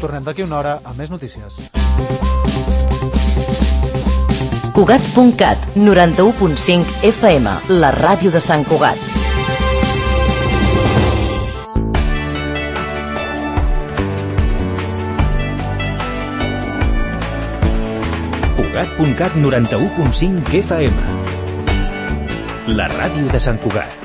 Tornem d'aquí una hora amb més notícies. Cugat.cat, 91.5 FM, la ràdio de Sant Cugat. Cugat.cat, 91.5 FM, la ràdio de Sant Cugat.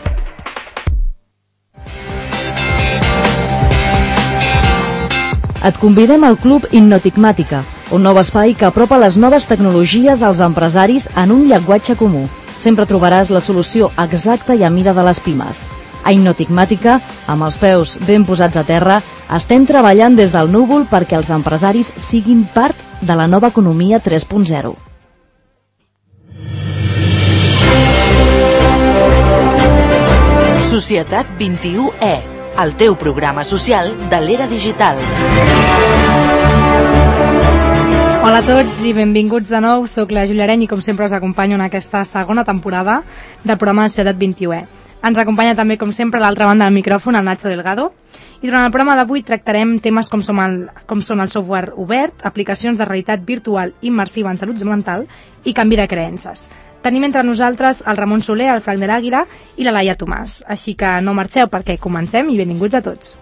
Et convidem al Club Innotigmàtica, un nou espai que apropa les noves tecnologies als empresaris en un llenguatge comú. Sempre trobaràs la solució exacta i a mida de les pimes. A Innotigmàtica, amb els peus ben posats a terra, estem treballant des del núvol perquè els empresaris siguin part de la nova economia 3.0. Societat 21E, el teu programa social de l'era digital. Hola a tots i benvinguts de nou. Soc la Júlia Areny i com sempre us acompanyo en aquesta segona temporada del programa de Societat 21E. Ens acompanya també, com sempre, a l'altra banda del micròfon, el Nacho Delgado. I durant el programa d'avui tractarem temes com són el software obert, aplicacions de realitat virtual immersiva en salut mental i canvi de creences. Tenim entre nosaltres el Ramon Soler, el Frank de l'Àguila i la Laia Tomàs. Així que no marxeu perquè comencem i benvinguts a tots.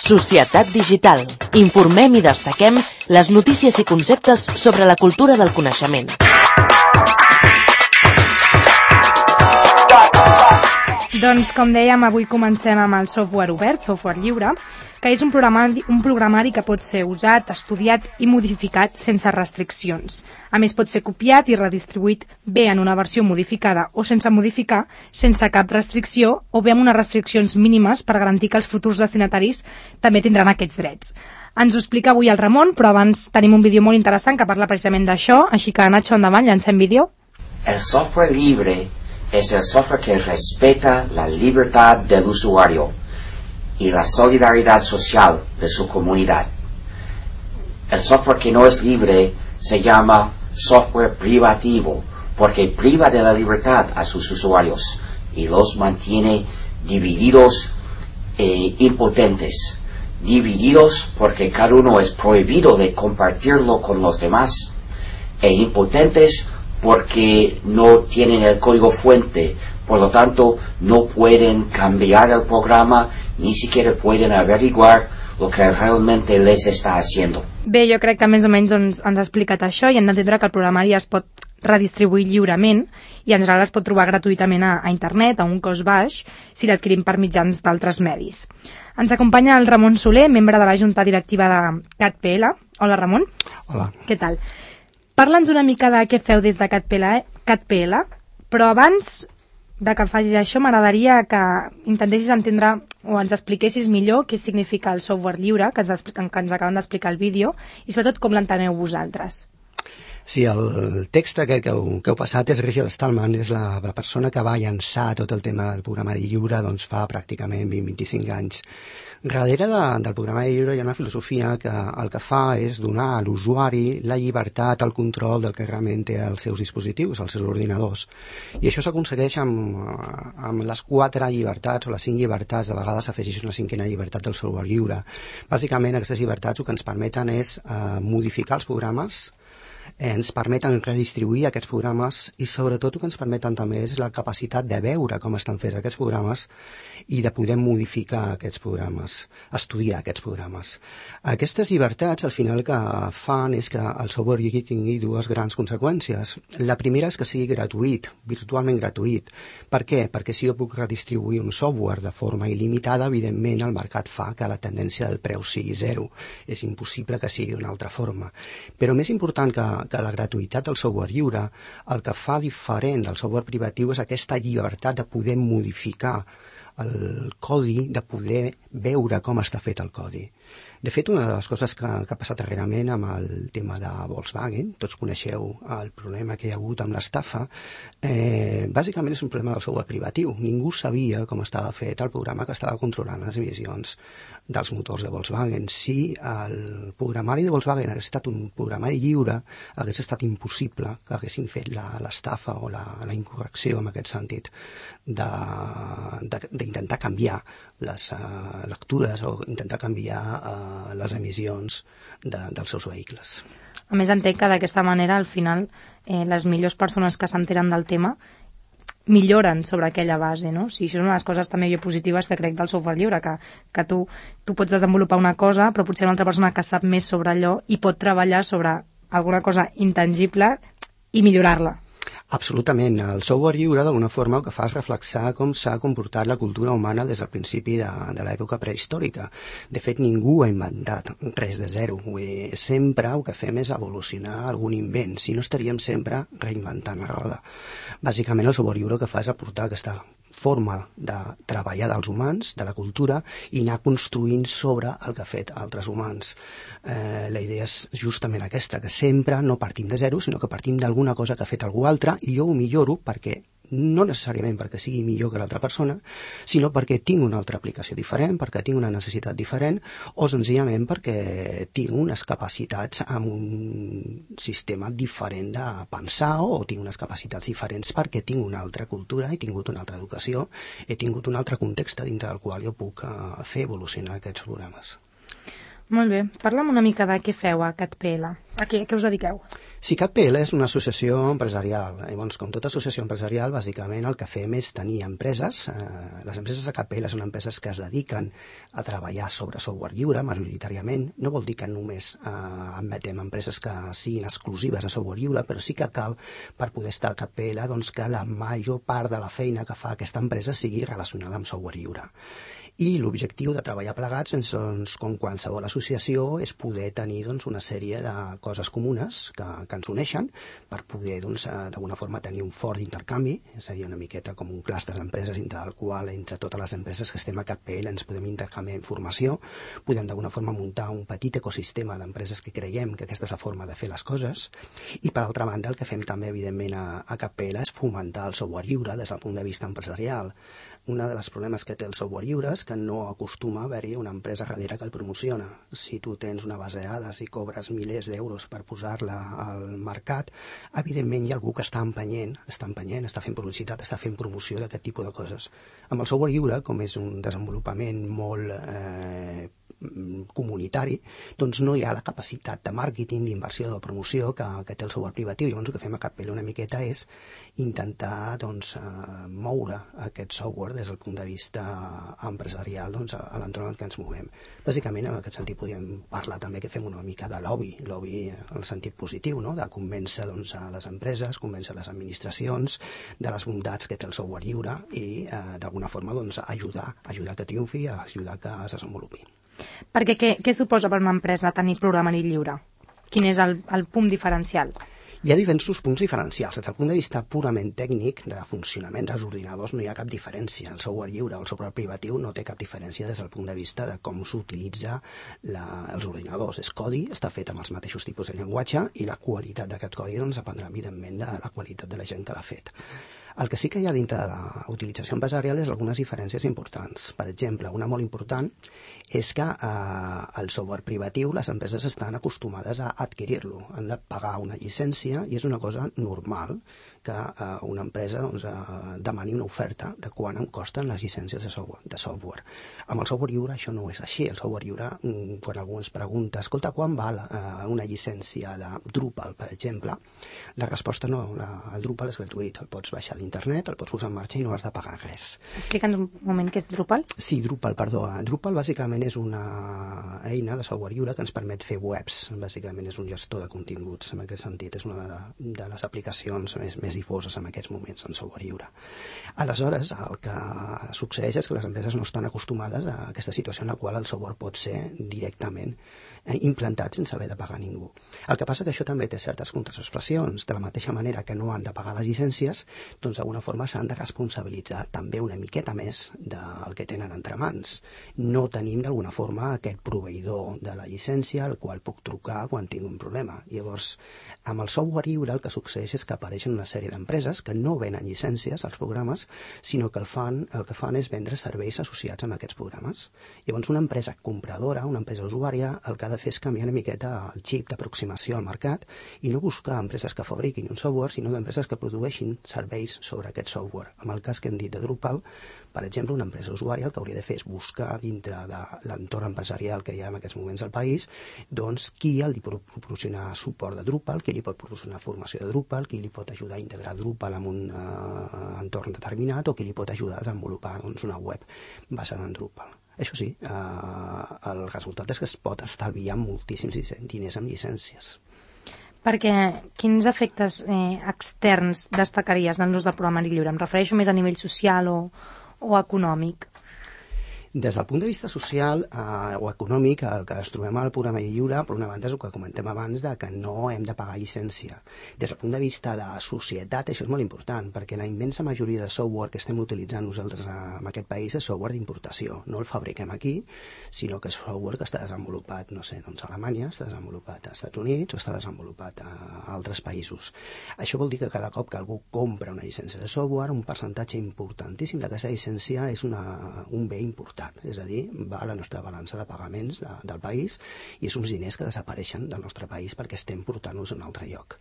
Societat digital. Informem i destaquem les notícies i conceptes sobre la cultura del coneixement. Doncs, com dèiem, avui comencem amb el software obert, software lliure, que és un programari que pot ser usat, estudiat i modificat sense restriccions. A més, pot ser copiat i redistribuït bé en una versió modificada o sense modificar, sense cap restricció, o bé amb unes restriccions mínimes per garantir que els futurs destinataris també tindran aquests drets. Ens ho explica avui el Ramon, però abans tenim un vídeo molt interessant que parla precisament d'això, així que, Nacho, endavant, llancem vídeo. El software libre es el software que respeta la libertad del usuario y la solidaridad social de su comunidad. El software que no es libre se llama software privativo porque priva de la libertad a sus usuarios y los mantiene divididos e impotentes. Divididos porque cada uno es prohibido de compartirlo con los demás e impotentes porque no tienen el código fuente, por lo tanto no pueden cambiar el programa, ni siquiera pueden averiguar lo que realmente les está haciendo. Bé, jo crec que més o menys ens ha explicat això i hem d'entendre que el programari es pot redistribuir lliurement i en general es pot trobar gratuïtament a internet a un cost baix si l'adquirim per mitjans d'altres medis. Ens acompanya el Ramon Soler, membre de la Junta Directiva de CatPL. Hola, Ramon. Hola. Què tal? Parla'ns una mica de què feu des de CatPL, però abans de que facis això m'agradaria que intentessis entendre o ens expliquessis millor què significa el software lliure, que ens acaben d'explicar el vídeo, i sobretot com l'enteneu vosaltres. Sí, el text que heu passat és Richard Stallman, és la persona que va llançar tot el tema del programari lliure doncs fa pràcticament 20-25 anys. Darrere del programari lliure hi ha una filosofia que el que fa és donar a l'usuari la llibertat, el control del que realment té els seus dispositius, els seus ordinadors. I això s'aconsegueix amb les 4 llibertats o les 5 llibertats, de vegades s'afegeix una 5a llibertat del software lliure. Bàsicament aquestes llibertats el que ens permeten és modificar els programes, ens permeten redistribuir aquests programes i sobretot el que ens permeten també és la capacitat de veure com estan fets aquests programes i de poder modificar aquests programes, estudiar aquests programes. Aquestes llibertats al final que fan és que el software lliure tingui 2 grans conseqüències. La primera és que sigui gratuït, virtualment gratuït. Per què? Perquè si jo puc redistribuir un software de forma il·limitada, evidentment el mercat fa que la tendència del preu sigui 0. És impossible que sigui d'una altra forma. Però més important que la gratuïtat del software lliure, el que fa diferent del software privatiu és aquesta llibertat de poder modificar el codi, de poder veure com està fet el codi. De fet, una de les coses que ha passat darrerament amb el tema de Volkswagen, tots coneixeu el problema que hi ha hagut amb l'estafa, bàsicament és un problema del software privatiu. Ningú sabia com estava fet el programa que estava controlant les emissions dels motors de Volkswagen. Si el programari de Volkswagen hagués estat un programari lliure, hagués estat impossible que haguessin fet l'estafa o la incorrecció, en aquest sentit, d'intentar canviar les lectures o intentar canviar les emissions dels seus vehicles. A més, entenc que d'aquesta manera, al final, les millors persones que s'enteren del tema milloren sobre aquella base, no? Sí, això és una de les coses també positives que crec del software lliure, que tu pots desenvolupar una cosa, però potser una altra persona que sap més sobre allò i pot treballar sobre alguna cosa intangible i millorar-la. Absolutament. El software lliure, d'alguna forma, el que fa és reflexar com s'ha comportat la cultura humana des del principi de l'època prehistòrica. De fet, ningú ha inventat res de zero. Sempre el que fem és evolucionar algun invent, si no estaríem sempre reinventant la roda. Bàsicament, el software lliure el que fa és aportar aquesta forma de treballar dels humans, de la cultura, i anar construint sobre el que ha fet altres humans. La idea és justament aquesta, que sempre no partim de zero, sinó que partim d'alguna cosa que ha fet algú altre, i jo ho milloro perquè no necessàriament perquè sigui millor que l'altra persona, sinó perquè tinc una altra aplicació diferent, perquè tinc una necessitat diferent, o senzillament perquè tinc unes capacitats amb un sistema diferent de pensar, o tinc unes capacitats diferents perquè tinc una altra cultura, he tingut una altra educació, he tingut un altre context dintre del qual jo puc fer evolucionar aquests programes. Molt bé. Parla'm una mica de què feu a CatPL. A què us dediqueu? Sí, CatPL és una associació empresarial. Llavors, com tota associació empresarial, bàsicament el que fem és tenir empreses. Les empreses de CatPL són empreses que es dediquen a treballar sobre software lliure, majoritàriament. No vol dir que només admetem empreses que siguin exclusives a software lliure, però sí que cal, per poder estar a CatPL, doncs, que la major part de la feina que fa aquesta empresa sigui relacionada amb software lliure. I l'objectiu de treballar plegats, doncs, com qualsevol associació, és poder tenir una sèrie de coses comunes que ens uneixen per poder, d'alguna forma, tenir un fort intercanvi. Seria una miqueta com un clúster d'empreses entre el qual, entre totes les empreses que estem a CatPL, ens podem intercanviar informació, podem d'alguna forma muntar un petit ecosistema d'empreses que creiem que aquesta és la forma de fer les coses. I, per altra banda, el que fem també, evidentment, a CatPL és fomentar el software lliure des del punt de vista empresarial. Un dels problemes que té el software lliure és que no acostuma a haver-hi una empresa darrere que el promociona. Si tu tens una base de dades i cobres milers d'euros per posar-la al mercat, evidentment hi ha algú que està empenyent, està fent publicitat, està fent promoció d'aquest tipus de coses. Amb el software lliure, com és un desenvolupament molt comunitari, doncs no hi ha la capacitat de màrqueting, d'inversió, de promoció que té el software privatiu. Llavors el que fem a CatPL una miqueta és intentar moure aquest software des del punt de vista empresarial a l'entorn en què ens movem. Bàsicament, en aquest sentit, podríem parlar també que fem una mica de lobby en el sentit positiu, no? De convèncer a les empreses, convèncer les administracions de les bondats que té el software lliure i, d'alguna forma, ajudar que triomfi, ajudar que es desenvolupi. Perquè què suposa per una empresa tenir programari lliure? Quin és el punt diferencial? Hi ha diversos punts diferencials. Des del punt de vista purament tècnic, de funcionament dels ordinadors, no hi ha cap diferència. El software lliure o el software privatiu no té cap diferència des del punt de vista de com s'utilitza els ordinadors. És codi, està fet amb els mateixos tipus de llenguatge i la qualitat d'aquest codi dependrà, evidentment, de la qualitat de la gent que l'ha fet. El que sí que hi ha dintre de la utilització empresarial és algunes diferències importants. Per exemple, una molt important és que el software privatiu les empreses estan acostumades a adquirir-lo. Han de pagar una llicència i és una cosa normal que una empresa demani una oferta de quant em costen les llicències de software. Amb el software lliure això no és així. El software lliure, quan algú ens pregunta, escolta, quan val una llicència de Drupal, per exemple, la resposta no, el Drupal és gratuït, el pots baixar d'internet, el pots posar en marxa i no has de pagar res. Explica'ns un moment què és Drupal. Sí, Drupal, Drupal bàsicament és una eina de software lliure que ens permet fer webs. Bàsicament és un gestor de continguts, en aquest sentit. És una de les aplicacions més difoses en aquests moments en software lliure. Aleshores, el que succeeix és que les empreses no estan acostumades a aquesta situació en la qual el software pot ser directament implantat sense haver de pagar ningú. El que passa que això també té certes contraexpressions. De la mateixa manera que no han de pagar les llicències, doncs d'alguna forma s'han de responsabilitzar també una miqueta més del que tenen entre mans. No tenim d'alguna forma aquest proveïdor de la llicència al qual puc trucar quan tinc un problema. Llavors, amb el software lliure el que succeeix és que apareixen una sèrie d'empreses que no venen llicències als programes, sinó que el que fan és vendre serveis associats amb aquests programes. Llavors, una empresa compradora, una empresa usuària, el que ha de fer és canviar una miqueta el xip d'aproximació al mercat i no buscar empreses que fabriquin un software, sinó d'empreses que produeixin serveis sobre aquest software. En el cas que hem dit de Drupal, per exemple, una empresa usuària el que hauria de fer és buscar dintre de l'entorn empresarial que hi ha en aquests moments al país, doncs qui li pot proporcionar suport de Drupal, qui li pot proporcionar formació de Drupal, qui li pot ajudar a integrar Drupal en un entorn determinat o qui li pot ajudar a desenvolupar una web basada en Drupal. Això sí, el resultat és que es pot estalviar moltíssims diners amb llicències. Perquè quins efectes externs destacaries en l'ús del programari lliure? Em refereixo més a nivell social o econòmic. Des del punt de vista social o econòmic, el que ens trobem al programari lliure, per una banda, és el que comentem abans de que no hem de pagar llicència. Des del punt de vista de societat, això és molt important, perquè la immensa majoria de software que estem utilitzant nosaltres en aquest país és software d'importació. No el fabriquem aquí, sinó que és software que està desenvolupat, no sé, doncs a Alemanya, està desenvolupat als Estats Units o està desenvolupat a altres països. Això vol dir que cada cop que algú compra una llicència de software, un percentatge importantíssim d'aquesta llicència és un bé important. És a dir, va a la nostra balança de pagaments del país i és uns diners que desapareixen del nostre país perquè estem portant-los a un altre lloc.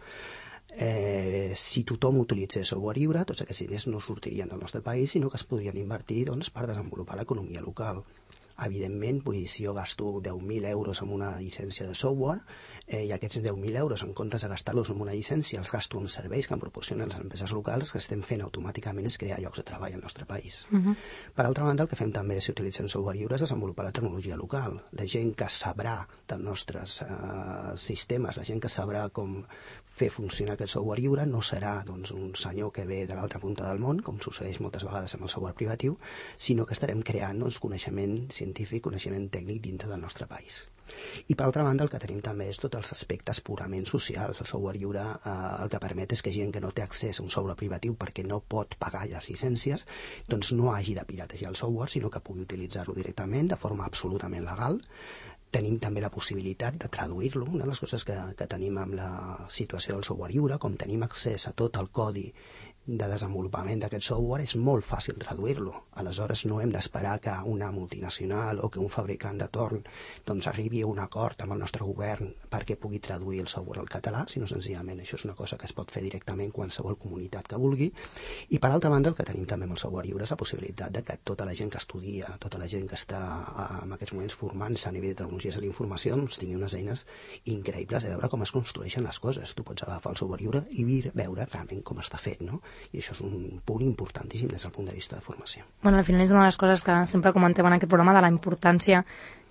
Si tothom utilitzés software lliure, tots aquests diners no sortirien del nostre país, sinó que es podrien invertir per desenvolupar l'economia local. Evidentment, si jo gasto 10.000 euros en una llicència de software i aquests 10.000 euros, en comptes de gastar-los en una llicència, els gasto en serveis que em proporcionen les empreses locals, que estem fent automàticament és crear llocs de treball al nostre país. Per altra banda, el que fem també si utilitzem software lliure és desenvolupar la tecnologia local. La gent que sabrà dels nostres sistemes, la gent que sabrà com fer funcionar aquest software lliure no serà un senyor que ve de l'altra punta del món, com succeeix moltes vegades amb el software privatiu, sinó que estarem creant coneixement científic, coneixement tècnic dintre del nostre país. I per altra banda el que tenim també és tots els aspectes purament socials. El software lliure el que permet és que gent que no té accés a un software privatiu perquè no pot pagar les llicències, doncs no hagi de piratejar el software, sinó que pugui utilitzar-lo directament de forma absolutament legal. Tenim també la possibilitat de traduir-lo. Una de les coses que tenim amb la situació del software lliure, com tenim accés a tot el codi de desenvolupament d'aquest software, és molt fàcil traduir-lo. Aleshores no hem d'esperar que una multinacional o que un fabricant de torn arribi a un acord amb el nostre govern perquè pugui traduir el software al català, sinó senzillament això és una cosa que es pot fer directament qualsevol comunitat que vulgui. I per altra banda el que tenim també amb el software lliure és la possibilitat de que tota la gent que estudia, tota la gent que està en aquests moments formant-se a nivell de tecnologies de la informació tingui unes eines increïbles de veure com es construeixen les coses. Tu pots agafar el software lliure i veure realment com està fet, no? I això és un punt importantíssim des del punt de vista de formació. Bueno, al final és una de les coses que sempre comentem en aquest programa, de la importància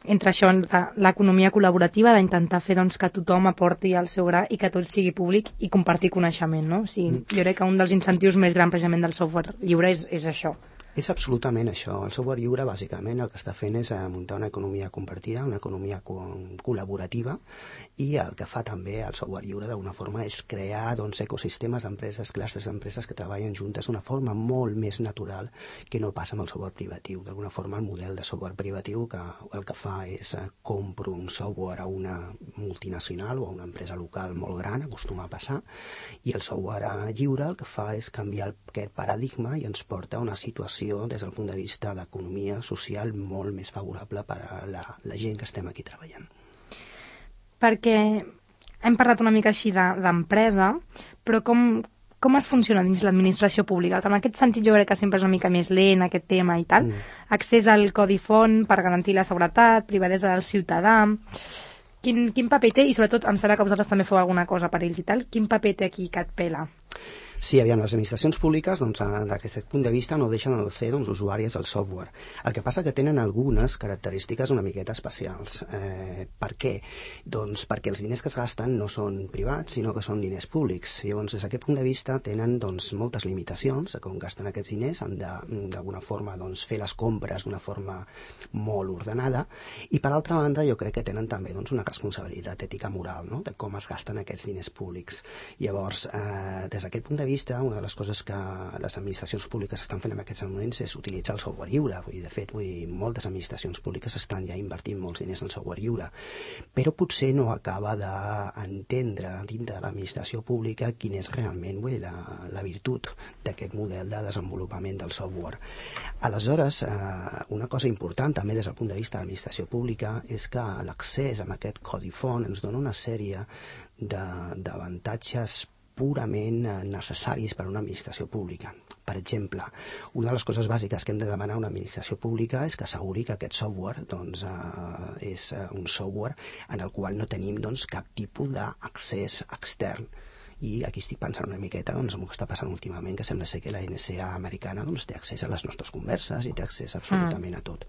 entre això, l'economia col·laborativa, d'intentar fer que tothom aporti el seu gra i que tot sigui públic i compartir coneixement, no? Jo crec que un dels incentius més grans precisament del software lliure és això. És absolutament això. El software lliure, bàsicament, el que està fent és muntar una economia compartida, una economia col·laborativa, i el que fa també el software lliure d'alguna forma és crear ecosistemes d'empreses, classes d'empreses que treballen juntes d'una forma molt més natural que no passa amb el software privatiu. D'alguna forma el model de software privatiu el que fa és compro un software a una multinacional o a una empresa local molt gran, acostuma a passar, i el software lliure el que fa és canviar aquest paradigma i ens porta a una situació des del punt de vista d'economia social molt més favorable per a la gent que estem aquí treballant. Perquè hem parlat una mica així d'empresa, però com es funciona dins l'administració pública? En aquest sentit jo crec que sempre és una mica més lent aquest tema i tal. Accés al codi font per garantir la seguretat, privadesa del ciutadà. Quin paper té? I sobretot em sembla que vosaltres també feu alguna cosa per ells i tal. Quin paper té aquí que et pela? Sí, aviam, les administracions públiques, doncs, d'aquest punt de vista, no deixen de ser usuàries del software. El que passa que tenen algunes característiques una miqueta especials. Per què? Doncs perquè els diners que es gasten no són privats, sinó que són diners públics. Llavors, des d'aquest punt de vista, tenen moltes limitacions a com gasten aquests diners, han d'alguna forma fer les compres d'una forma molt ordenada, i per altra banda jo crec que tenen també una responsabilitat ètica moral, no?, de com es gasten aquests diners públics. Llavors, des d'aquest punt de vista, una de les coses que les administracions públiques estan fent en aquests moments és utilitzar el software lliure. De fet, moltes administracions públiques estan ja invertint molts diners en software lliure, però potser no acaba d'entendre dintre de l'administració pública quina és realment la virtut d'aquest model de desenvolupament del software. Aleshores, una cosa important també des del punt de vista de l'administració pública és que l'accés a aquest codi font ens dona una sèrie d'avantatges purament necessaris per a una administració pública. Per exemple, una de les coses bàsiques que hem de demanar a una administració pública és que asseguri que aquest software és un software en el qual no tenim cap tipus d'accés extern. I aquí estic pensant una miqueta en el que està passant últimament, que sembla ser que la NSA americana té accés a les nostres converses i té accés absolutament a tot.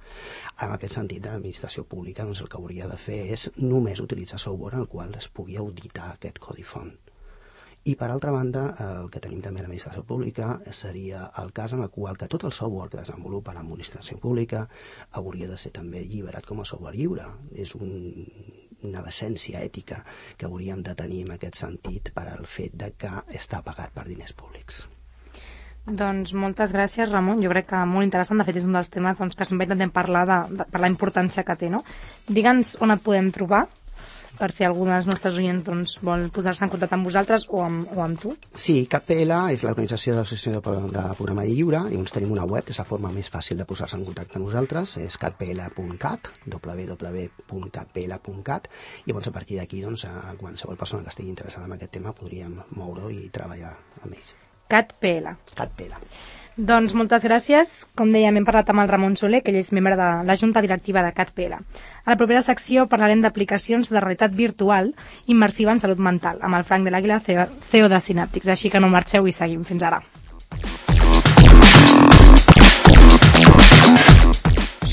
En aquest sentit, l'administració pública el que hauria de fer és només utilitzar software en el qual es pugui auditar aquest codi font. I per altra banda, el que tenim també a l'administració pública seria el cas en el qual que tot el software que desenvolupa l'administració pública hauria de ser també alliberat com a software lliure. És una decència ètica que hauríem de tenir en aquest sentit per al fet de que està pagat per diners públics. Doncs moltes gràcies, Ramon. Jo crec que molt interessant. De fet, és un dels temes que sempre intentem parlar per la importància que té, no? Digue'ns on et podem trobar, per si algun dels nostres oients vol posar-se en contacte amb vosaltres o amb tu. Sí, CatPL és l'organització de l'associació de programari lliure, i tenim una web, que és la forma més fàcil de posar-se en contacte amb nosaltres, és catpl.cat, www.catpl.cat, i llavors a partir d'aquí, qualsevol persona que estigui interessada en aquest tema podríem moure-ho i treballar amb ells. CatPL. Doncs moltes gràcies. Com dèiem, hem parlat amb el Ramon Soler, que ell és membre de la Junta Directiva de CatPL. A la propera secció parlarem d'aplicacions de realitat virtual immersiva en salut mental, amb el Frank de l'Àguila, CEO de Synaptics. Així que no marxeu i seguim. Fins ara.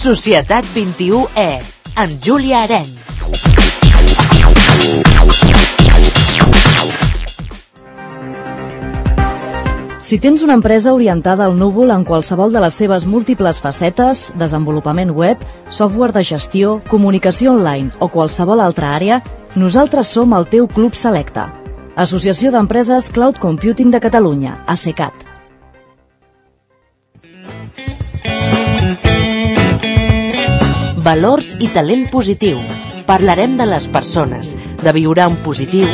Societat 21E, amb Júlia Arenys. Si tens una empresa orientada al núvol en qualsevol de les seves múltiples facetes, desenvolupament web, software de gestió, comunicació online o qualsevol altra àrea, nosaltres som el teu club selecte. Associació d'Empreses Cloud Computing de Catalunya, ACECAT. Valors i talent positiu. Parlarem de les persones, de viure en positiu.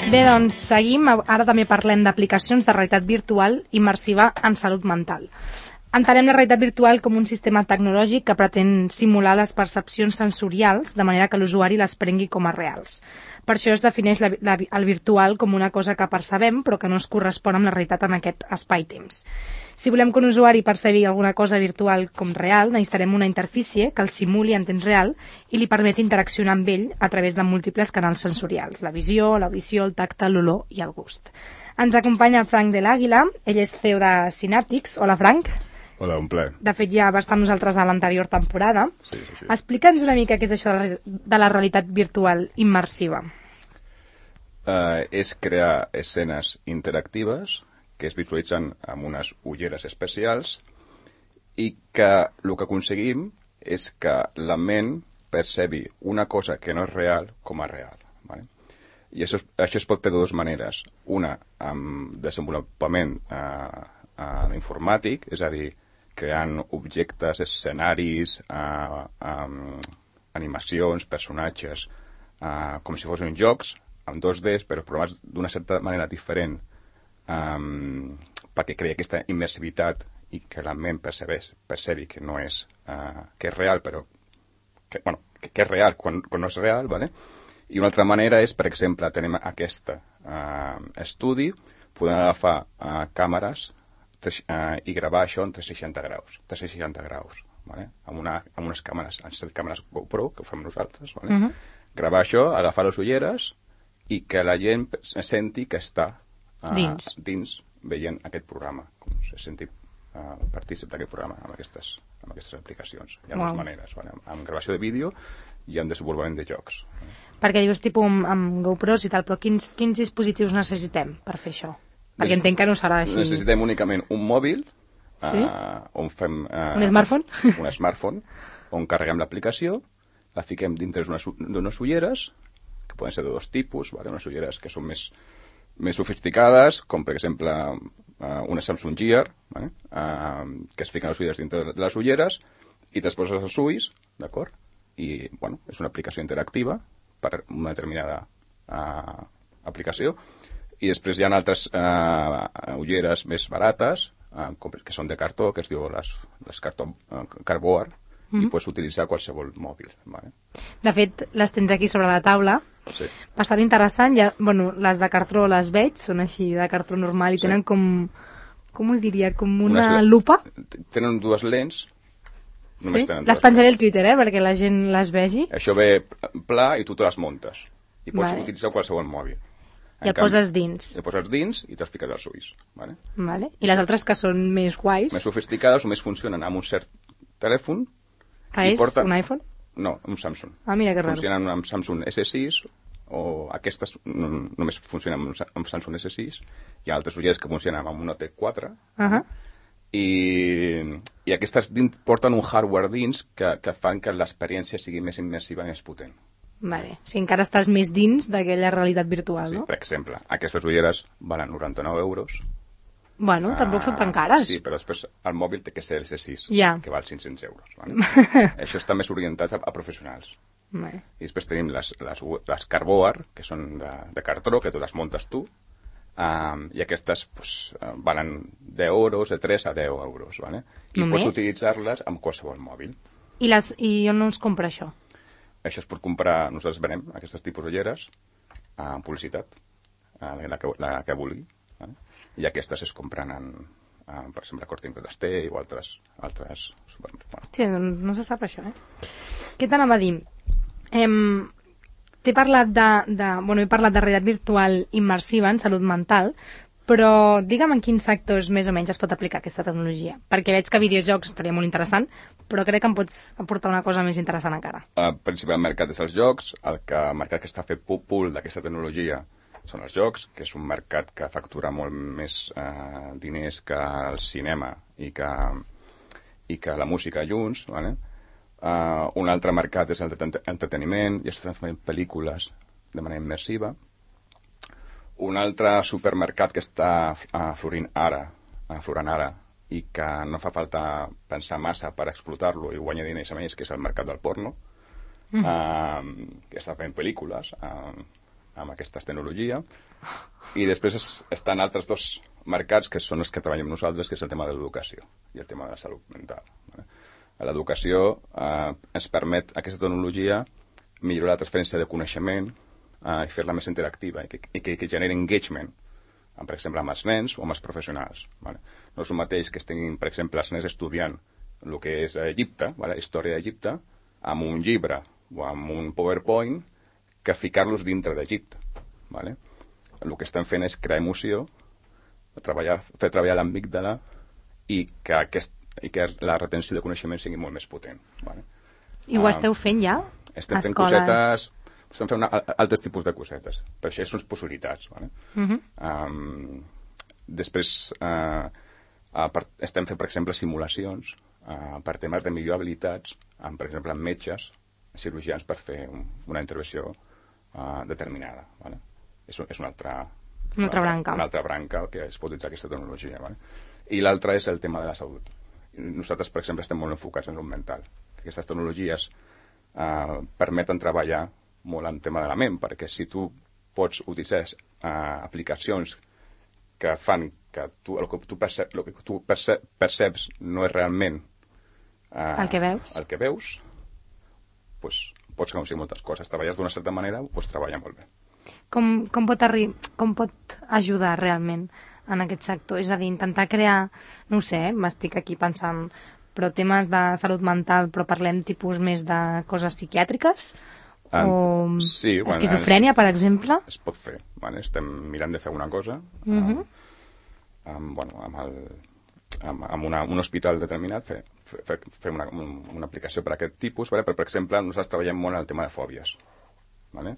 Bé, doncs seguim. Ara també parlem d'aplicacions de realitat virtual immersiva en salut mental. Entenem la realitat virtual com un sistema tecnològic que pretén simular les percepcions sensorials de manera que l'usuari les prengui com a reals. Per això es defineix el virtual com una cosa que percebem però que no es correspon amb la realitat en aquest espai-temps. Si volem que un usuari percebi alguna cosa virtual com real, necessitarem una interfície que el simuli en temps real i li permeti interaccionar amb ell a través de múltiples canals sensorials, la visió, l'audició, el tacte, l'olor i el gust. Ens acompanya el Frank de l'Àguila, ell és CEO de Synaptics. Hola, Frank. Hola, un plaer. De fet, ja va estar amb nosaltres a l'anterior temporada. Sí. Explica'ns una mica què és això de la realitat virtual immersiva. És crear escenes interactives que es visualitzen amb unes ulleres especials i que el que aconseguim és que la ment percebi una cosa que no és real com a real. ¿Vale? I això es pot fer de dues maneres. Una, amb desenvolupament informàtic, és a dir, creant objectes, escenaris, animacions, personatges, com si fossin jocs, amb 2D, però programats d'una certa manera diferent, perquè crea aquesta immersivitat i que la ment percebi que no és, que és real, però que és real quan no és real, ¿vale? I una altra manera és, per exemple, tenim aquest estudi, podem agafar càmeres i gravar això en 360 graus. vale? Amb unes càmeres, amb 7 càmeres GoPro, que ho fem nosaltres, vale? Gravar això, agafar les ulleres i que la gent senti que està dins veient aquest programa, com se senti partícip d'aquest programa amb aquestes aplicacions. Hi ha dues maneres, vale? Amb gravació de vídeo i amb desenvolupament de jocs. Perquè dius tipus amb GoPros i tal, però quins dispositius necessitem per fer això? Perquè entenc que no serà així. Necessitem únicament un mòbil, on fem... un smartphone? Un smartphone, on carreguem l'aplicació, la fiquem dintre d'unes ulleres, que poden ser de dos tipus, vale? Unes ulleres que són més sofisticades, com per exemple una Samsung Gear, vale? Que es fiquen les ulleres dintre de les ulleres i te poses els ulls, d'acord? I, bueno, és una aplicació interactiva per una determinada aplicació. I després hi ha altres ulleres més barates, que són de cartó, que es diu les cartó cardboard, i pots utilitzar qualsevol mòbil. Vale? De fet, les tens aquí sobre la taula. Sí. Bastant interessant. Les de cartró les veig, són així de cartró normal i tenen com us diria, com una lupa. Tenen dues lents. Sí? Les penjaré al Twitter, perquè la gent les vegi. Això ve pla i tu te les muntes. I pots utilitzar qualsevol mòbil. I el poses dins. El poses dins i te'ls fiques als ulls. Vale? I les altres que són més guais? Més sofisticades o més funcionen amb un cert telèfon. Que és un iPhone? No, un Samsung. Mira que raro. Funcionen amb Samsung S6 o aquestes només funcionen amb Samsung S6. Hi ha altres ulleres que funcionen amb un Note 4. I aquestes porten un hardware dins que fan que l'experiència sigui més immersiva i més potent. Vale. Si encara estàs més dins d'aquella realitat virtual, no? Sí, per exemple, aquestes ulleres valen 99 euros. Bueno, tampoc són tan cares. Sí, però després el mòbil té que ser el S6, que val 500 euros. Vale? Això està més orientat a professionals. I després tenim les cardboard, que són de cartró, que tu les muntes tu, i aquestes valen 10 euros, de 3 a 10 euros. Vale? I pots utilitzar-les amb qualsevol mòbil. I on no es compra això? Això es pot comprar, nosaltres venem aquestes tipus d'ulleres en publicitat, la que vulgui. Vale? I aquestes es compren per exemple, a Corte Inglés o altres supermercats. Hòstia, no se sap això, Què t'anava a dir? He parlat de realitat virtual immersiva en salut mental, però digue'm en quins sectors més o menys es pot aplicar aquesta tecnologia. Perquè veig que videojocs estaria molt interessant, però crec que em pots aportar una cosa més interessant encara. El principal mercat és els jocs, el mercat que està fet pool d'aquesta tecnologia són els jocs, que és un mercat que factura molt més diners que el cinema i que la música junts. Vale? Un altre mercat és el d'entreteniment, i estan fent pel·lícules de manera immersiva. Un altre supermercat que està florint ara i que no fa falta pensar massa per explotar-lo i guanyar diners amb ells, que és el mercat del porno, que està fent pel·lícules amb aquesta tecnologia. I després estan altres dos mercats que són els que treballem nosaltres, que és el tema de l'educació i el tema de la salut mental. L'educació ens permet, aquesta tecnologia, millorar la transferència de coneixement i fer-la més interactiva i que generi engagement, per exemple, amb els nens o amb els professionals. No és el mateix que estiguin, per exemple, els nens estudiant el que és Egipte, història d'Egipte, amb un llibre o amb un PowerPoint, que ficar-los dintre d'Egipte. El que estem fent és crear emoció, fer treballar l'amígdala i que la retenció de coneixement sigui molt més potent. I ho esteu fent ja? Estem fent cosetes, estem fent altres tipus de cosetes, però això són possibilitats. Després estem fent, per exemple, simulacions per temes de millor habilitats, per exemple, amb metges, cirurgians, per fer una intervenció determinada. És una altra branca que es pot utilitzar aquesta tecnologia. I l'altra és el tema de la salut. Nosaltres, per exemple, estem molt enfocats en salut mental. Aquestes tecnologies permeten treballar molt en tema de la ment, perquè si tu pots utilitzar aplicacions que fan que el que tu perceps no és realment el que veus, doncs pots aconseguir moltes coses. Treballes d'una certa manera, ho pots treballar molt bé. Com pot ajudar realment en aquest sector? És a dir, intentar crear, no ho sé, m'estic aquí pensant, però temes de salut mental, però parlem tipus més de coses psiquiàtriques? Sí, esquizofrènia, per exemple? Es pot fer. Vale? Estem mirant de fer una cosa amb un hospital determinat, fer una aplicació per a aquest tipus, vale? Però, per exemple, nosaltres treballem molt en el tema de fòbies. Vale?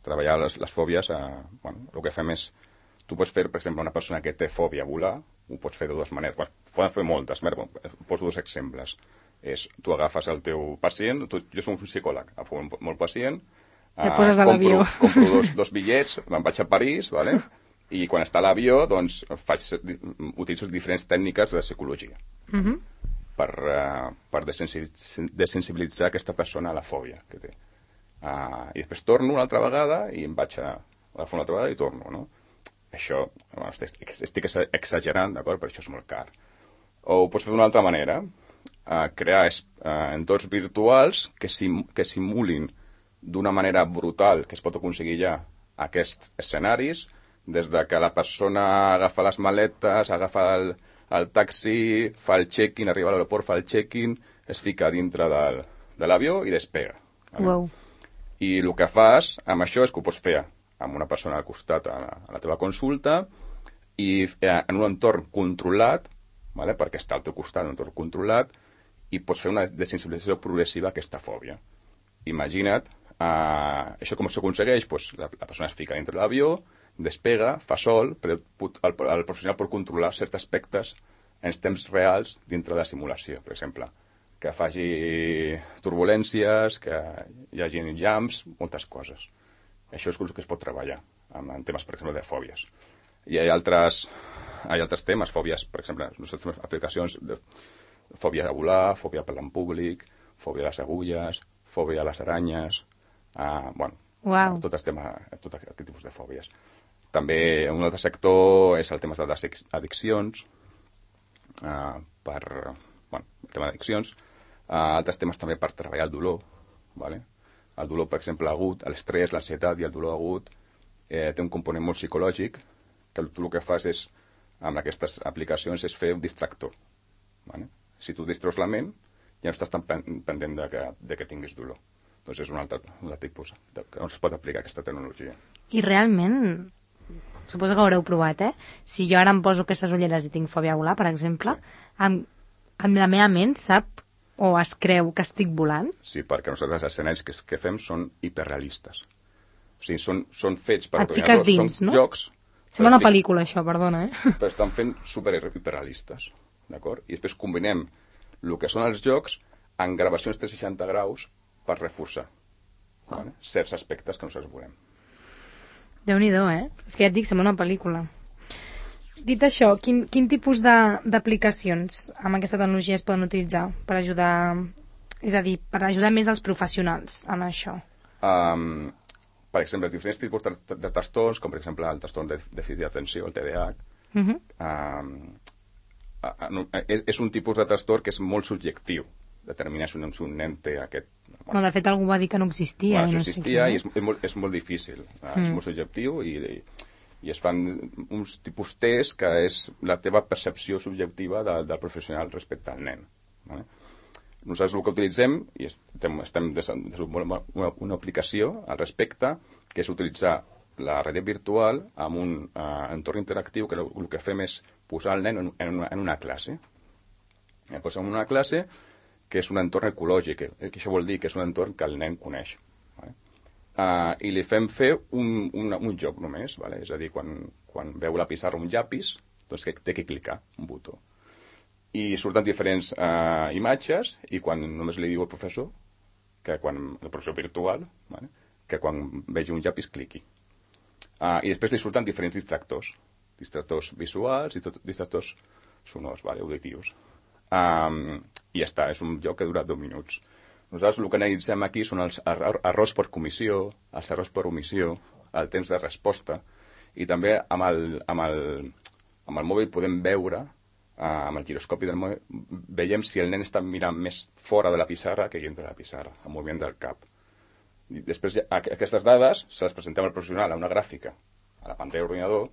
Treballar les fòbies, el que fem és, tu pots fer, per exemple, una persona que té fòbia a volar, ho pots fer de dues maneres. Poden fer moltes, poso dos exemples. Tu agafes el teu pacient, jo soc un psicòleg, agafo molt pacient, te poses a l'avió. Compro dos bitllets, me'n vaig a París, vale? I quan està a l'avió, doncs, utilitzo diferents tècniques de psicologia per desensibilitzar aquesta persona a la fòbia que té. I després torno una altra vegada i em vaig a agafar una altra vegada i torno, no? Això, estic exagerant, d'acord? Per això és molt car. O ho pots fer d'una altra manera, crear entorns virtuals que simulin d'una manera brutal, que es pot aconseguir ja aquests escenaris, des de que la persona agafa les maletes, agafa el taxi, fa el check-in, arriba a l'aeroport, fa el check-in, es fica dintre de l'avió i despega. Wow. I el que fas amb això és que ho pots fer amb una persona al costat a la teva consulta i en un entorn controlat, vale? Perquè està al teu costat, en un entorn controlat, i pots fer una desensibilització progressiva a aquesta fòbia. Imagina't, això com s'aconsegueix? Pues la persona es fica dintre l'avió, despega, fa sol, però el professional pot controlar certs aspectes en temps reals dintre de la simulació, per exemple, que faci turbulències, que hi hagi jumps, moltes coses. Això és el que es pot treballar en temes, per exemple, de fòbies. I hi ha altres temes, fòbies, per exemple, les nostres aplicacions, fòbia de volar, fòbia per en públic, fòbia a les agulles, fòbia a les aranyes, tot aquest tipus de fòbies. També un altre sector és el tema de les addiccions, el tema d'addiccions, altres temes també per treballar el dolor, vale? El dolor, per exemple, agut, l'estrès, l'ansietat i el dolor agut té un component molt psicològic, que tu el que fas és, amb aquestes aplicacions, és fer un distractor. Vale? Si tu distreus la ment, ja no estàs tan pendent de que tinguis dolor. Doncs és un altre tipus on es pot aplicar aquesta tecnologia. I realment, suposo que ho haureu provat, si jo ara em poso aquestes ulleres i tinc fòbia a volar, per exemple, amb la meva ment sap o es creu que estic volant? Sí, perquè nosaltres els escenaris que fem són hiperrealistes. O sigui, són fets per... Et fiques dins, no? Jocs... Sembla una pel·lícula, això, perdona, Però estan fent hiperrealistes, d'acord? I després combinem el que són els jocs en gravacions 360 graus per reforçar certs aspectes que nosaltres volem. Déu-n'hi-do, És que ja et dic, sembla una pel·lícula. Dit això, quin tipus d'aplicacions amb aquesta tecnologia es poden utilitzar per ajudar, és a dir, per ajudar més els professionals en això? Per exemple, diferents tipus de trastorns, com per exemple el trastorn de dèficit d'atenció, el TDAH, és un tipus de trastorn que és molt subjectiu, determinar si un nen té aquest... No, de fet, algú va dir que no existia. No existia i és molt difícil. És molt subjectiu i es fan uns tipus test que és la teva percepció subjectiva del professional respecte al nen. Vale? Nosaltres el que utilitzem, i estem desenvolupant una aplicació al respecte, que és utilitzar la realitat virtual amb un entorn interactiu que el que fem és posar el nen en una classe. Posem en una classe que és un entorn ecològic, que això vol dir que és un entorn que el nen coneix. I li fem fer un joc només, vale? És a dir, quan veu la pissarra un llapis, doncs que té que clicar un botó. I surten diferents imatges i quan només li diu al professor, el professor virtual, vale? Que quan vegi un llapis cliqui. I després li surten diferents distractors visuals i distractors sonors, vale? Auditius. I ja està, és un joc que dura 2 minuts. Nosaltres el que analitzem aquí són els errors per comissió, els errors per omissió, el temps de resposta, i també amb el mòbil podem veure, amb el giroscopi del mòbil, veiem si el nen està mirant més fora de la pissarra que dintre de la pissarra, el moviment del cap. I després aquestes dades se les presentem al professional a una gràfica, a la pantalla d'ordinador,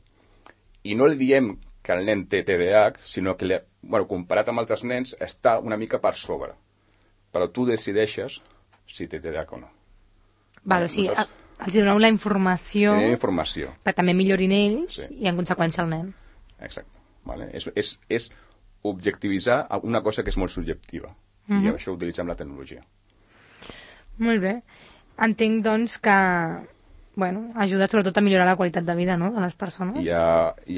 i no li diem que el nen té TDAH, sinó que, comparat amb altres nens, està una mica per sobre. Però tu decideixes si té TDAH o no. Vale, o sigui, els doneu la informació perquè també millorin ells i en conseqüència el nen. Exacte. Vale? És objectivitzar una cosa que és molt subjectiva i això ho utilitzem la tecnologia. Molt bé. Entenc, doncs, que ajuda sobretot a millorar la qualitat de vida, no?, de les persones. Hi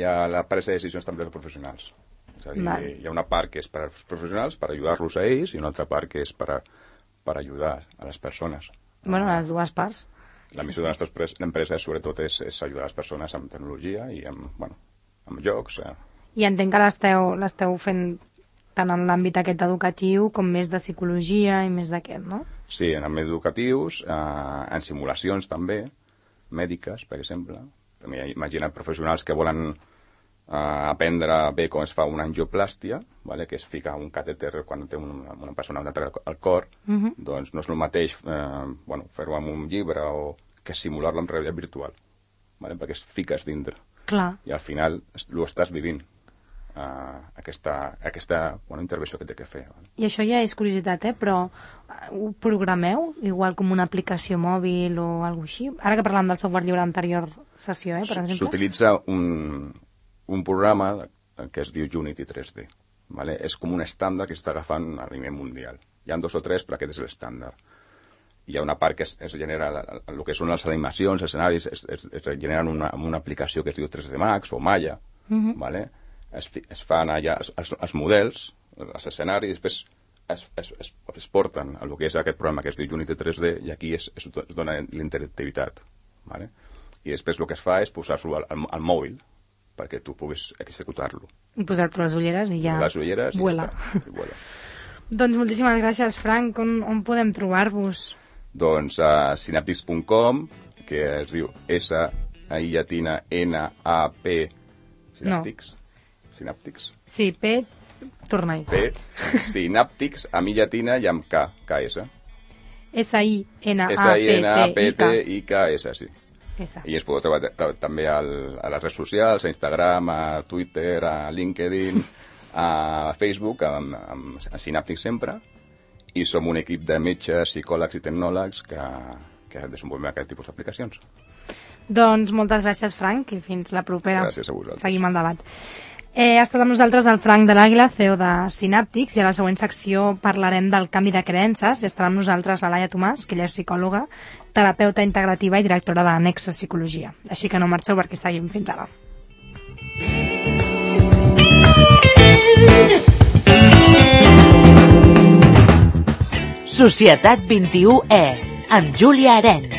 ha la presa de decisions també dels professionals. És a dir, hi ha una part que és per als professionals, per ajudar-los a ells, i una altra part que és per ajudar a les persones. A les dues parts. La missió de la nostra empresa, sobretot, és ajudar les persones amb tecnologia i amb jocs. I entenc que l'esteu fent tant en l'àmbit aquest educatiu com més de psicologia i més d'aquest, no? Sí, en àmbit educatius, en simulacions també, mèdiques, per exemple. Imagina professionals que volen aprendre bé com es fa una angioplàstia, que es fica un catèter quan té una persona un atac al cor, doncs no és el mateix fer-ho amb un llibre o que simular-lo amb realitat virtual, perquè es fiques dintre. Clar. I al final ho estàs vivint, aquesta intervenció que té que fer. I això ja és curiositat, però ho programeu igual com una aplicació mòbil o alguna cosa així? Ara que parlàvem del software lliure anterior sessió, per exemple. S'utilitza un programa que es diu Unity 3D. És com un estàndard que s'està agafant a nivell mundial. Hi ha 2 o 3, però aquest és l'estàndard. Hi ha una part que es genera, el que són les animacions, els escenaris, es generen amb una aplicació que es diu 3D Max o Maya. Es fan allà els models, els escenaris, després es porten a el que és aquest programa que es diu Unity 3D i aquí es dona l'interactivitat. I després el que es fa és posar-lo al mòbil perquè tu puguis executar-lo. I posar-te les ulleres i ja vuela. Doncs moltíssimes gràcies, Frank. On podem trobar-vos? Doncs a synaptics.com, que es diu S-I-N-A-P Synaptics. Synaptics. Sí, P, torna-hi. P, Synaptics, amb I llatina i amb K, K-S. S-I-N-A-P-T-I-K-S, sí. I es podeu trobar també a les redes socials, a Instagram, a Twitter, a LinkedIn, a Facebook, a Synaptics sempre, i som un equip de metges, psicòlegs i tecnòlegs que desenvolupem aquest tipus d'aplicacions. Doncs moltes gràcies, Frank, i fins la propera. Gràcies a vosaltres. Seguim el debat. Ha estat amb nosaltres el Frank de l'Àguila, CEO de Synaptics, i a la següent secció parlarem del canvi de creences. I estarà amb nosaltres la Laia Tomàs, que ella és psicòloga, terapeuta integrativa i directora de Nexus Psicologia. Així que no marxeu perquè seguim fins ara. Societat 21E, amb Júlia Aren.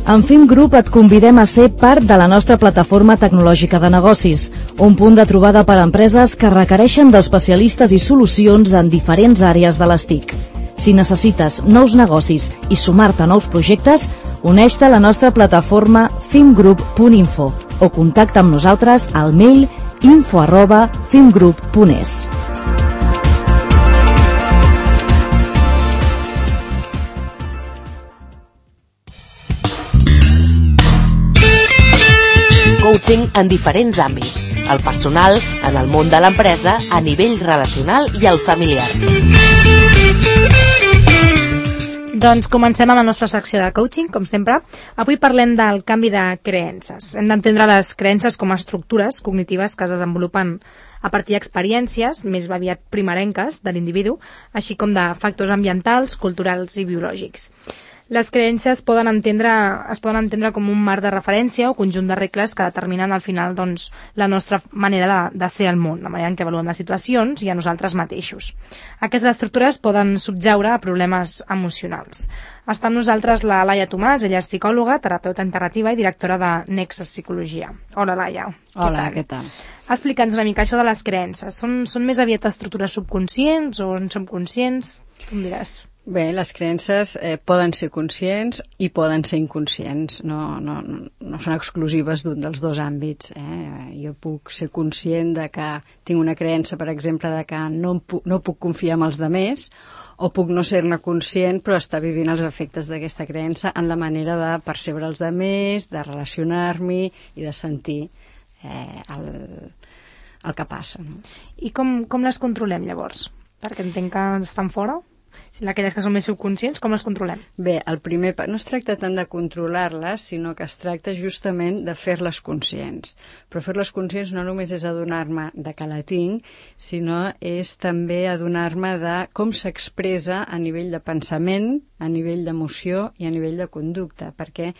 En FIM Group et convidem a ser part de la nostra plataforma tecnològica de negocis, un punt de trobada per a empreses que requereixen d'especialistes i solucions en diferents àrees de les TIC. Si necessites nous negocis i sumar-te a nous projectes, uneix-te a la nostra plataforma fimgroup.info o contacta amb nosaltres al mail info@fimgroup.es. Coaching en diferents àmbits, el personal, en el món de l'empresa, a nivell relacional i el familiar. Doncs comencem amb la nostra secció de coaching, com sempre. Avui parlem del canvi de creences. Hem d'entendre les creences com a estructures cognitives que es desenvolupen a partir d'experiències més aviat primerenques de l'individu, així com de factors ambientals, culturals i biològics. Les creences es poden entendre com un marc de referència o conjunt de regles que determinen al final la nostra manera de ser al món, la manera en què avaluem les situacions i a nosaltres mateixos. Aquestes estructures poden subjaure a problemes emocionals. Està amb nosaltres la Laia Tomàs, ella és psicòloga, terapeuta integrativa i directora de Nexus Psicologia. Hola, Laia. Hola, què tal? Explica'ns una mica això de les creences. Són més aviat estructures subconscients o en som conscients? Tu em diràs. Bé, les creences poden ser conscients i poden ser inconscients, no són exclusives d'un dels dos àmbits. Jo puc ser conscient de que tinc una creença, per exemple, de que no puc confiar en els demés, o puc no ser-ne conscient però estar vivint els efectes d'aquesta creença en la manera de percebre els altres, de relacionar-m'hi i de sentir el que passa. No? I com les controlem llavors? Perquè entenc que estan fora. Si aquelles que són més subconscients, com les controlem? Bé, el primer no es tracta tant de controlar-les, sinó que es tracta justament de fer-les conscients. Però fer-les conscients no només és adonar-me de que la tinc, sinó és també adonar-me de com s'expressa a nivell de pensament, a nivell d'emoció i a nivell de conducta, perquè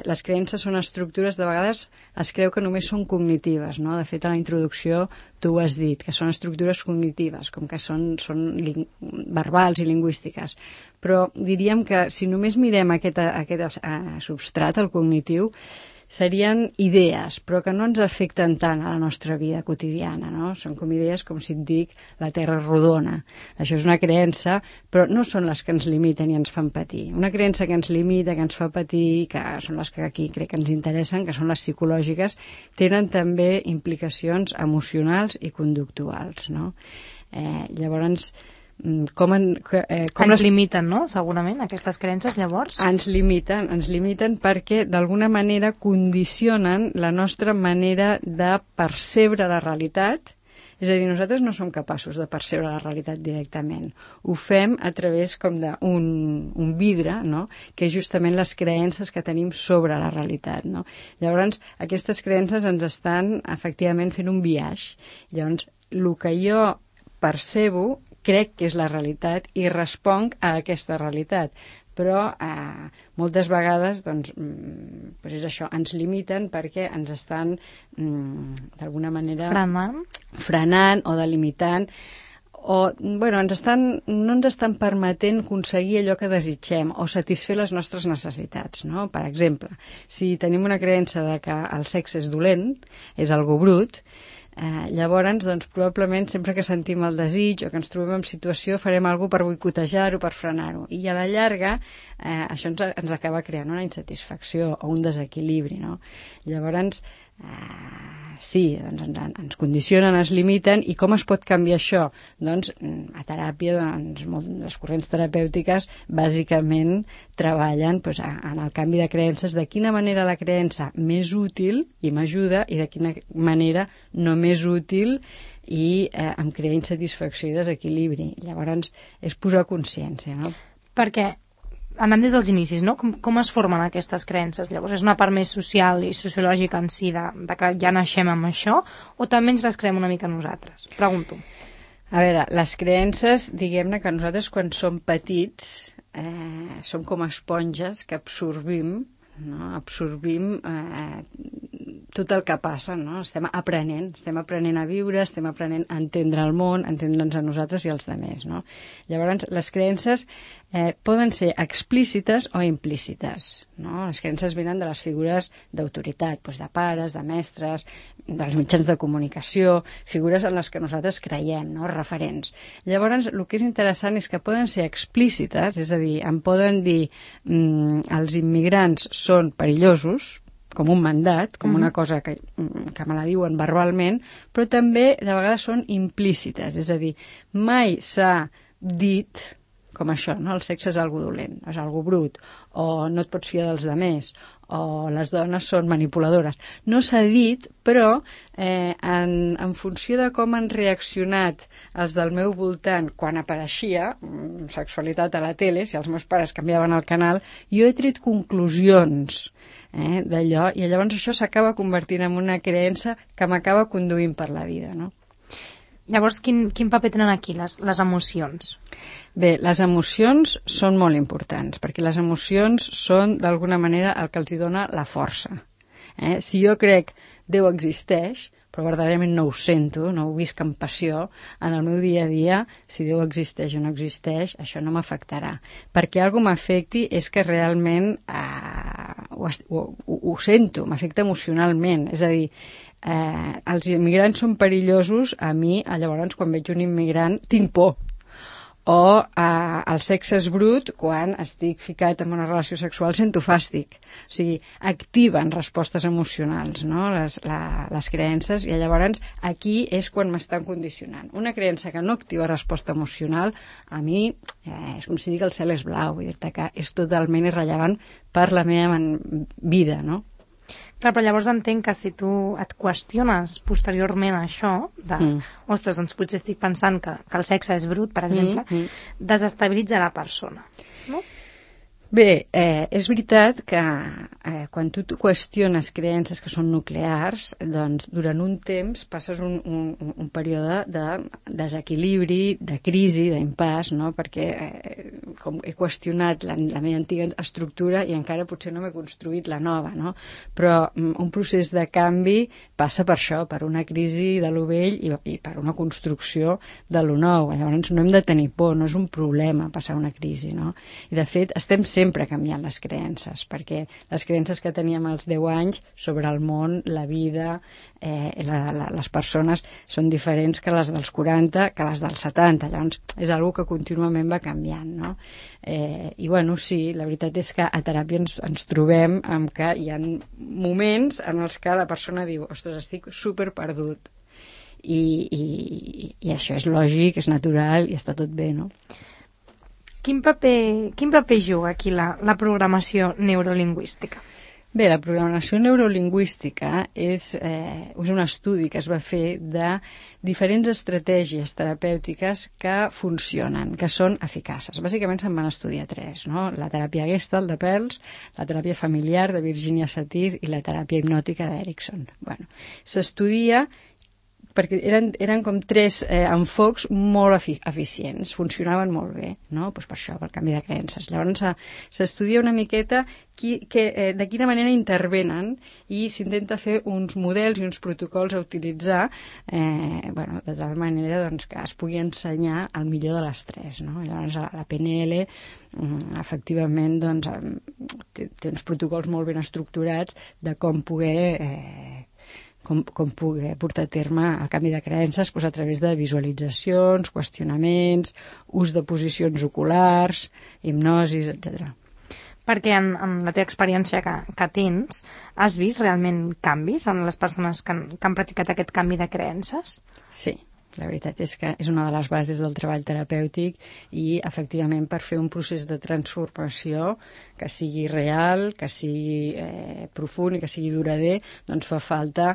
les creences són estructures, de vegades es creu que només són cognitives, no? De fet, a la introducció tu ho has dit, que són estructures cognitives, com que són verbals i lingüístiques. Però diríem que si només mirem aquest substrat, el cognitiu, serien idees, però que no ens afecten tant a la nostra vida quotidiana, no? Són com idees, com si et dic, la Terra és rodona. Això és una creença, però no són les que ens limiten i ens fan patir. Una creença que ens limita, que ens fa patir, que són les que aquí crec que ens interessen, que són les psicològiques, tenen també implicacions emocionals i conductuals, no? Llavors, ens limiten, no? Segurament, aquestes creences, llavors? Ens limiten perquè d'alguna manera condicionen la nostra manera de percebre la realitat. És a dir, nosaltres no som capaços de percebre la realitat directament. Ho fem a través com d'un vidre, no? Que és justament les creences que tenim sobre la realitat, no? Llavors, aquestes creences ens estan efectivament fent un biaix. Llavors, el que jo percebo crec que és la realitat i responc a aquesta realitat. Però moltes vegades doncs és això, ens limiten perquè ens estan d'alguna manera frenant o delimitant o no ens estan permetent aconseguir allò que desitgem o satisfer les nostres necessitats, no? Per exemple, si tenim una creença de que el sexe és dolent, és algo brut, llavors, doncs, probablement sempre que sentim el desig o que ens trobem en situació farem alguna cosa per boicotejar-ho, per frenar-ho. I a la llarga això ens acaba creant una insatisfacció o un desequilibri, no? Llavors, sí, doncs, ens condicionen, ens limiten, i com es pot canviar això? Doncs a teràpia, doncs, les corrents terapèutiques bàsicament treballen en el canvi de creences, de quina manera la creença més útil i m'ajuda i de quina manera no més útil i em crea insatisfacció i desequilibri. Llavors és posar consciència, no? Perquè anant des dels inicis, no? Com es formen aquestes creences? Llavors, és una part més social i sociològica en si de que ja naixem amb això, o també ens les creem una mica nosaltres? Pregunto. A veure, les creences, diguem-ne que nosaltres quan som petits som com esponges que absorbim tot el que passa, no? Estem aprenent a viure, estem aprenent a entendre el món, a entendre'ns a nosaltres i als altres, no? Llavors, les creences poden ser explícites o implícites, no? Les creences venen de les figures d'autoritat, doncs de pares, de mestres, dels mitjans de comunicació, figures en les que nosaltres creiem, no? Referents. Llavors, el que és interessant és que poden ser explícites, és a dir, em poden dir els immigrants són perillosos, com un mandat, com una cosa que me la diuen verbalment, però també de vegades són implícites, és a dir, mai s'ha dit com això, no? El sexe és algo dolent, és algo brut, o no et pots fiar dels altres, o les dones són manipuladores. No s'ha dit, però en funció de com han reaccionat els del meu voltant quan apareixia sexualitat a la tele, si els meus pares canviaven el canal, jo he tret conclusions d'allò, i llavors això s'acaba convertint en una creença que m'acaba conduint per la vida, no? Llavors, quin paper tenen aquí les emocions? Bé, les emocions són molt importants, perquè les emocions són, d'alguna manera, el que els hi dona la força. Si jo crec Déu existeix, però verdaderament no ho sento, no ho visc amb passió, en el meu dia a dia, si Déu existeix o no existeix, això no m'afectarà. Perquè alguna cosa m'afecti és que realment ho sento, m'afecta emocionalment, és a dir, els immigrants són perillosos, a mi, llavors, quan veig un immigrant, tinc por. o el sexe és brut quan estic ficat en una relació sexual sento fàstic. O sigui, activen respostes emocionals, no? Les creences, i llavors aquí és quan m'estan condicionant. Una creença que no activa resposta emocional, a mi és com si dic el cel és blau, vull dir-te que és totalment irrellevant per la meva vida, no? Clar, però llavors entenc que si tu et qüestiones posteriorment això, ostres, doncs potser estic pensant que el sexe és brut, per exemple, desestabilitza la persona, no? Bé, és veritat que quan tu qüestiones creences que són nuclears, doncs durant un temps passes un període de desequilibri, de crisi, d'impàs, no? Perquè com he qüestionat la meva antiga estructura i encara potser no m'he construït la nova, no? Però un procés de canvi passa per això, per una crisi de lo vell i per una construcció de lo nou. Llavors no hem de tenir por, no és un problema passar una crisi, no? I de fet estem sempre canviant les creences, perquè les creences que teníem als 10 anys sobre el món, la vida, les persones són diferents que les dels 40, que les dels 70, llavors és una que contínuament va canviant, no? I bueno, sí, la veritat és que a teràpia ens trobem amb que hi ha moments en els que la persona diu, ostres, estic super perdut, i això és lògic, és natural i està tot bé, no? Quin paper juga aquí la programació neurolingüística? Bé, la programació neurolingüística és un estudi que es va fer de diferents estratègies terapèutiques que funcionen, que són eficaces. Bàsicament se'n van estudiar 3, no? La teràpia Gestalt de Perls, la teràpia familiar de Virginia Satir i la teràpia hipnòtica d'Erickson. Bueno, s'estudia perquè eren com 3 enfocs molt eficients, funcionaven molt bé, no? Pues per això, pel canvi de creences. Llavors s'estudia una miqueta de quina manera intervenen i s'intenta fer uns models i uns protocols a utilitzar de tal manera doncs, que es pugui ensenyar el millor de les 3, no? Llavors la PNL efectivament doncs, té uns protocols molt ben estructurats de com poder portar a terme el canvi de creences a través de visualitzacions, qüestionaments, ús de posicions oculars, hipnosis, etc. Perquè en la teva experiència que tens, has vist realment canvis en les persones que han practicat aquest canvi de creences? Sí, la veritat és que és una de les bases del treball terapèutic i, efectivament, per fer un procés de transformació que sigui real, que sigui profund i que sigui durader, doncs fa falta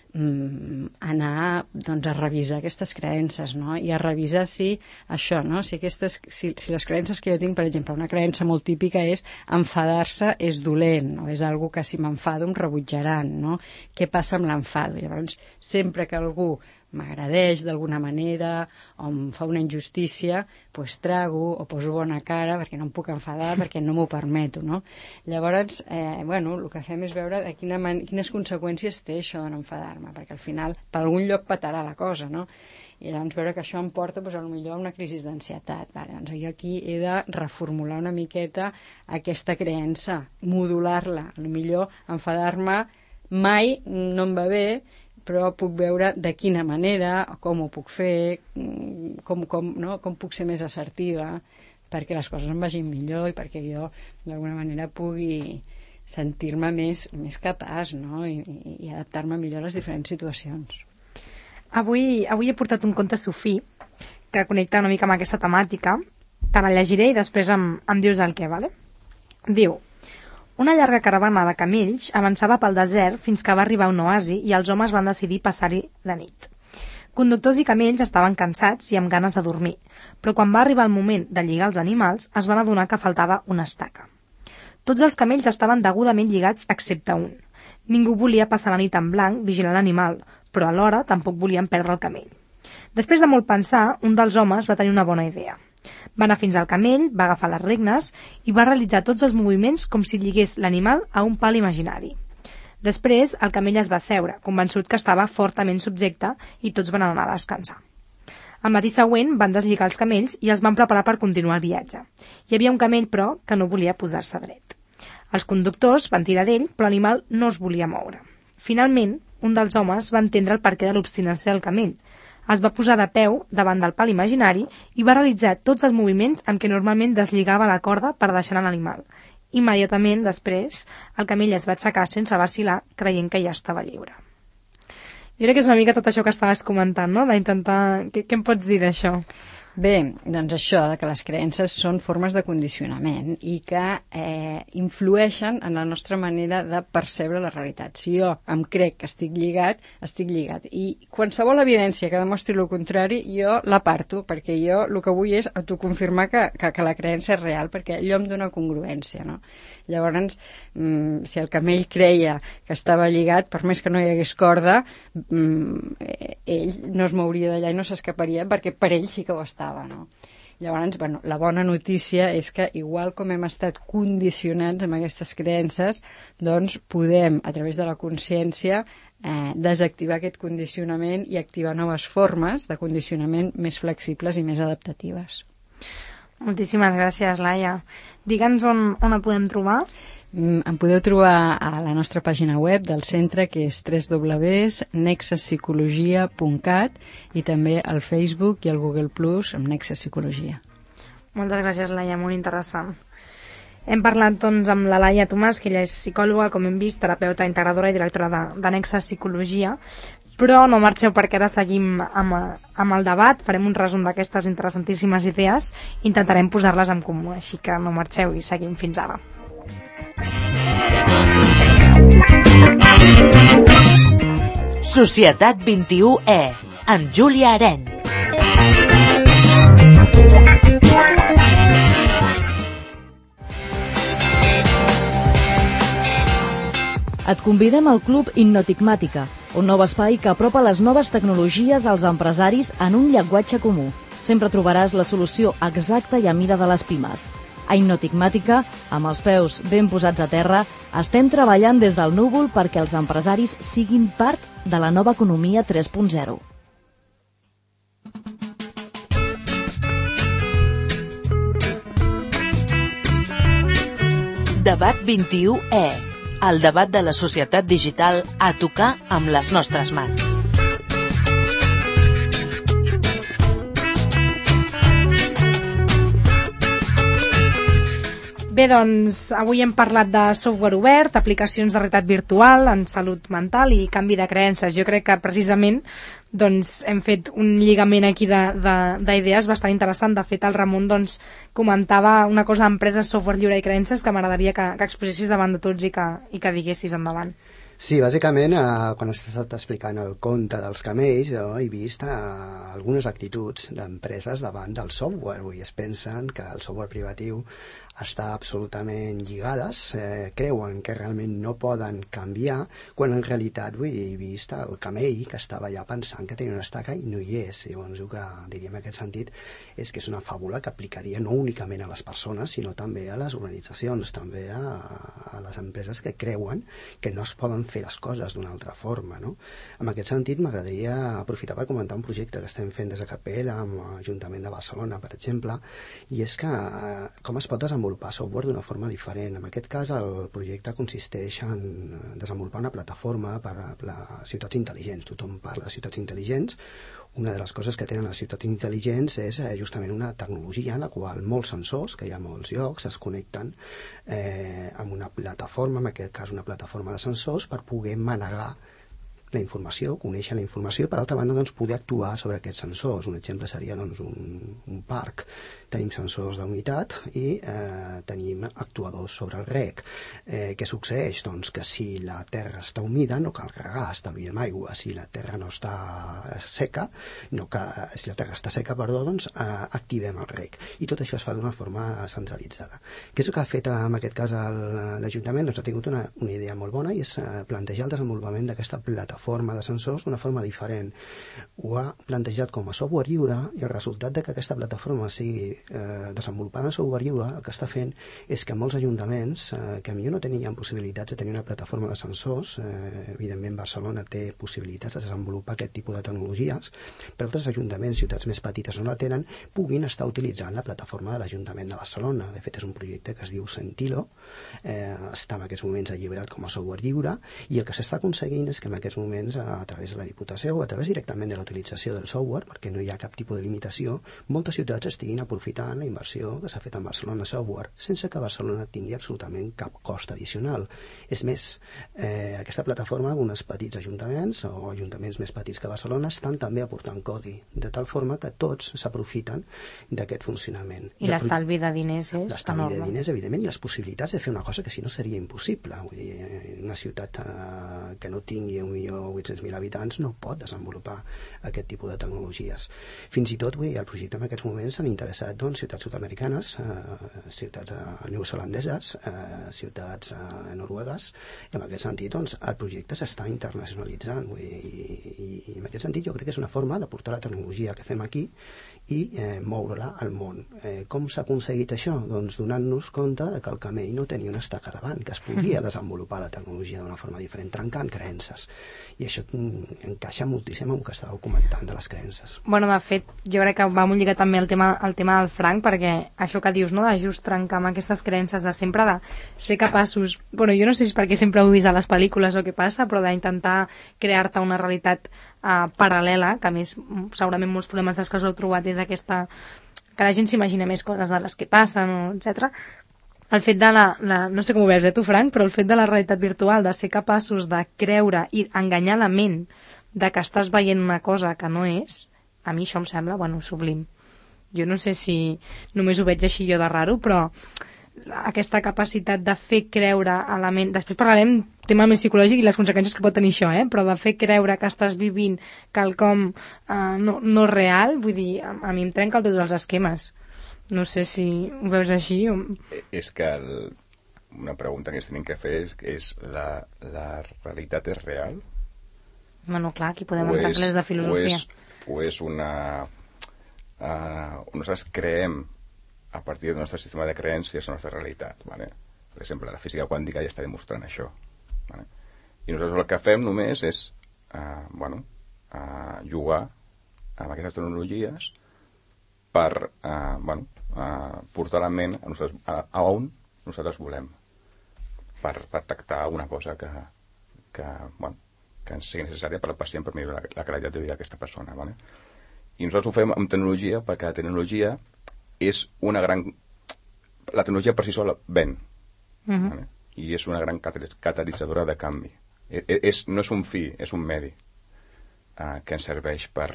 anar a revisar aquestes creences, no? I a revisar si això, no? Si les creences que jo tinc, per exemple, una creença molt típica és enfadar-se és dolent, no? És algo que si m'enfado em rebutjaran, no? Què passa amb l'enfado? Llavors, sempre que algú m'agradeix d'alguna manera o em fa una injustícia, doncs trago o poso bona cara perquè no em puc enfadar, perquè no m'ho permeto, no? Llavors, el que fem és veure quines conseqüències té això de no enfadar-me, perquè al final per algun lloc petarà la cosa, no? I llavors veure que això em porta potser a una crisi d'ansietat. Doncs jo aquí he de reformular una miqueta aquesta creença, modular-la. Potser enfadar-me mai no em va bé, però puc veure de quina manera, com ho puc fer, com puc ser més assertiva perquè les coses em vagin millor i perquè jo d'alguna manera pugui sentir-me més capaç, no? I adaptar-me millor a les diferents situacions. Avui he portat un conte sufí que connecta una mica amb aquesta temàtica. Te la llegiré i després em dius el què, vale? Diu: una llarga caravana de camells avançava pel desert fins que va arribar a un oasi i els homes van decidir passar-hi la nit. Conductors i camells estaven cansats i amb ganes de dormir, però quan va arribar el moment de lligar els animals es van adonar que faltava una estaca. Tots els camells estaven degudament lligats excepte un. Ningú volia passar la nit en blanc vigilant l'animal, però alhora tampoc volien perdre el camell. Després de molt pensar, un dels homes va tenir una bona idea. Va anar fins al camell, va agafar les regnes i va realitzar tots els moviments com si lligués l'animal a un pal imaginari. Després, el camell es va asseure, convençut que estava fortament subjecte, i tots van anar a descansar. Al matí següent van deslligar els camells i els van preparar per continuar el viatge. Hi havia un camell, però, que no volia posar-se dret. Els conductors van tirar d'ell, però l'animal no es volia moure. Finalment, un dels homes va entendre el perquè de l'obstinació del camell. es va posar de peu davant del pal imaginari i va realitzar tots els moviments amb què normalment deslligava la corda per deixar anar l'animal. Immediatament després, el camell es va aixecar sense vacil·lar, creient que ja estava lliure. Jo crec que és una mica tot això que estaves comentant, no? D'intentar... Què em pots dir d'això? Bé, doncs això, que les creences són formes de condicionament i que influeixen en la nostra manera de percebre la realitat. Si jo em crec que estic lligat, estic lligat. I qualsevol evidència que demostri el contrari, jo l'aparto, perquè jo el que vull és autoconfirmar que la creença és real, perquè allò em dona congruència, no? Llavors, si el camell creia que estava lligat, per més que no hi hagués corda, ell no es mouria d'allà i no s'escaparia, perquè per ell sí que ho estava. No? Llavors, la bona notícia és que, igual com hem estat condicionats amb aquestes creences, doncs podem, a través de la consciència, desactivar aquest condicionament i activar noves formes de condicionament més flexibles i més adaptatives. Moltíssimes gràcies, Laia. Digue'ns on et podem trobar. Em podeu trobar a la nostra pàgina web del centre, que és www.nexuspsicologia.cat, i també al Facebook i al Google Plus amb Nexus Psicologia. Moltes gràcies, Laia, molt interessant. Hem parlat doncs amb la Laia Tomàs, que ella és psicòloga, com hem vist, terapeuta integradora i directora de Nexus Psicologia, però no marxeu perquè ara seguim amb el debat, farem un resum d'aquestes interessantíssimes idees, intentarem posar-les en comú, així que no marxeu i seguim fins ara. Societat 21E, amb Júlia Aren. Et convidem al Club Innotigmàtica, un nou espai que apropa les noves tecnologies als empresaris en un llenguatge comú. Sempre trobaràs la solució exacta i a mida de les pimes. A Innotigmàtica, amb els peus ben posats a terra, estem treballant des del núvol perquè els empresaris siguin part de la nova economia 3.0. Debat 21E, el debat de la societat digital a tocar amb les nostres mans. Bé, doncs, avui hem parlat de software obert, aplicacions de realitat virtual en salut mental i canvi de creences. Jo crec que precisament doncs, hem fet un lligament aquí d'idees bastant interessant. De fet, el Ramon doncs, comentava una cosa d'empreses, software lliure i creences que m'agradaria que exposessis davant de tots i que diguessis endavant. Sí, bàsicament, quan has estat explicant el conte dels camells, he vist algunes actituds d'empreses davant del software. I es pensen que el software privatiu està absolutament lligades, creuen que realment no poden canviar, quan en realitat he vist el camell que estava allà pensant que tenia una estaca i no hi és. Llavors el que diríem en aquest sentit és que és una fàbula que aplicaria no únicament a les persones, sinó també a les organitzacions, també a les empreses que creuen que no es poden fer les coses d'una altra forma, no? En aquest sentit m'agradaria aprofitar per comentar un projecte que estem fent des de Capella amb l'Ajuntament de Barcelona, per exemple, i és que com es pot desenvolupar software d'una forma diferent. En aquest cas el projecte consisteix en desenvolupar una plataforma per a ciutats intel·ligents. Tothom parla de ciutats intel·ligents. Una de les coses que tenen les ciutats intel·ligents és justament una tecnologia en la qual molts sensors, que hi ha molts llocs, es connecten amb una plataforma, en aquest cas una plataforma de sensors, per poder manegar la informació, conèixer la informació i per altra banda doncs, poder actuar sobre aquests sensors. Un exemple seria doncs, un parc. Tenim sensors d'humitat i tenim actuadors sobre el rec. Què succeeix? Doncs que si la terra està humida no cal regar, estalviem aigua. Si la terra no està seca, si la terra està seca, doncs activem el rec. I tot això es fa d'una forma centralitzada. Què és el que ha fet en aquest cas l'Ajuntament? Doncs ha tingut una idea molt bona i és plantejar el desenvolupament d'aquesta plataforma de sensors d'una forma diferent. Ho ha plantejat com a software lliure i el resultat de que aquesta plataforma sigui desenvolupada en software lliure, el que està fent és que molts ajuntaments que potser no tenien possibilitats de tenir una plataforma de sensors, evidentment Barcelona té possibilitats de desenvolupar aquest tipus de tecnologies, però altres ajuntaments, ciutats més petites no la tenen, puguin estar utilitzant la plataforma de l'Ajuntament de Barcelona. De fet, és un projecte que es diu Sentilo, està en aquests moments alliberat com a software lliure, i el que s'està aconseguint és que en aquests moments moments a través de la Diputació o a través directament de la utilització del software, perquè no hi ha cap tipus de limitació, moltes ciutats estiguin aprofitant la inversió que s'ha fet en Barcelona Software sense que Barcelona tingui absolutament cap cost addicional. És més, aquesta plataforma, alguns petits ajuntaments o ajuntaments més petits que Barcelona estan també aportant codi, de tal forma que tots s'aprofiten d'aquest funcionament. I l'estalvi de diners és enorme. L'estalvi de diners, evidentment, i les possibilitats de fer una cosa que si no seria impossible. Vull dir, una ciutat que no tingui 1.800.000 habitants no pot desenvolupar aquest tipus de tecnologies. Fins i tot, vull dir, el projecte en aquests moments s'han interessat ciutats sud-americanes, ciutats neozelandeses, ciutats noruegues, i en aquest sentit el projecte s'està internacionalitzant. Vull dir, i en aquest sentit jo crec que és una forma de portar la tecnologia que fem aquí i moure-la al món. Com s'ha aconseguit això? Doncs donant-nos compte que el camell no tenia una estaca davant, que es podia desenvolupar la tecnologia d'una forma diferent, trencant creences. I això encaixa moltíssim amb el que estàveu comentant de les creences. Bueno, de fet, jo crec que va molt lligat també el tema del Frank, perquè això que dius, no?, de just trencar amb aquestes creences de sempre de ser capaços... Bueno, jo no sé si és perquè sempre ho he vist a les pel·lícules o què passa, però d'intentar crear-te una realitat paral·lela, que a més segurament molts problemes dels que us heu trobat és aquesta... que la gent s'imagina més coses de les que passen, etc. El fet de no sé com ho veus tu, Frank, però el fet de la realitat virtual, de ser capaços de creure i enganyar la ment de que estàs veient una cosa que no és, a mi això em sembla, bueno, sublim. Jo no sé si només ho veig així jo de raro, però aquesta capacitat de fer creure a la ment... Després parlarem tema més psicològic i les conseqüències que pot tenir això, però de fer creure que estàs vivint quelcom no real, vull dir, a mi em trenca tots els esquemes. No sé si ho veus així o... És que una pregunta que ens tenim que fer és la realitat és real? Bueno, clar, aquí podem entrar en classes de filosofia. O és una... nosaltres creem a partir del nostre sistema de creences la nostra realitat, ¿vale? Per exemple, la física quàntica ja està demostrant això, ¿vale? I nosaltres el que fem només és jugar amb aquestes tecnologies per portar la ment a on nosaltres volem, per tractar alguna cosa que ens sigui necessària per al pacient, per millorar la qualitat de vida d'aquesta persona, ¿vale? I nosaltres ho fem amb tecnologia perquè la tecnologia és una gran... La tecnologia per si sola ven. ¿Vale? I és una gran catalitzadora de canvi. No és un fi, és un medi que ens serveix per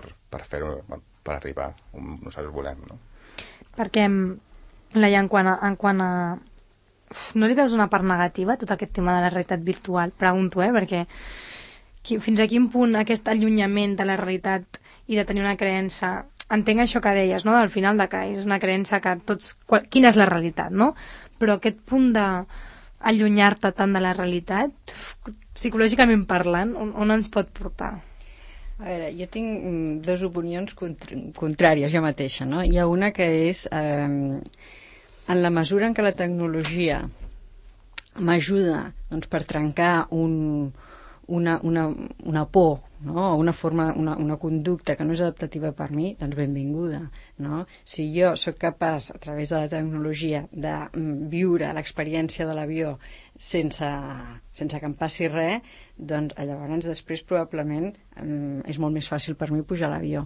fer-ho, per arribar on nosaltres volem, no? Perquè, Laia, en quant a... No li veus una part negativa a tot aquest tema de la realitat virtual? Pregunto, perquè fins a quin punt aquest allunyament de la realitat i de tenir una creença... Entenc això que deies, no?, del final de que és una creença que tots... Quina és la realitat, no? Però aquest punt d'allunyar-te tant de la realitat, psicològicament parlant, on ens pot portar? A veure, jo tinc dues opinions contràries jo mateixa, no? Hi ha una que és en la mesura en què la tecnologia m'ajuda doncs, per trencar una por, no? Una forma, una conducta que no és adaptativa per mi, doncs benvinguda, no? Si jo sóc capaç, a través de la tecnologia, de viure l'experiència de l'avió sense que em passi res, doncs llavors després probablement és molt més fàcil per mi pujar a l'avió.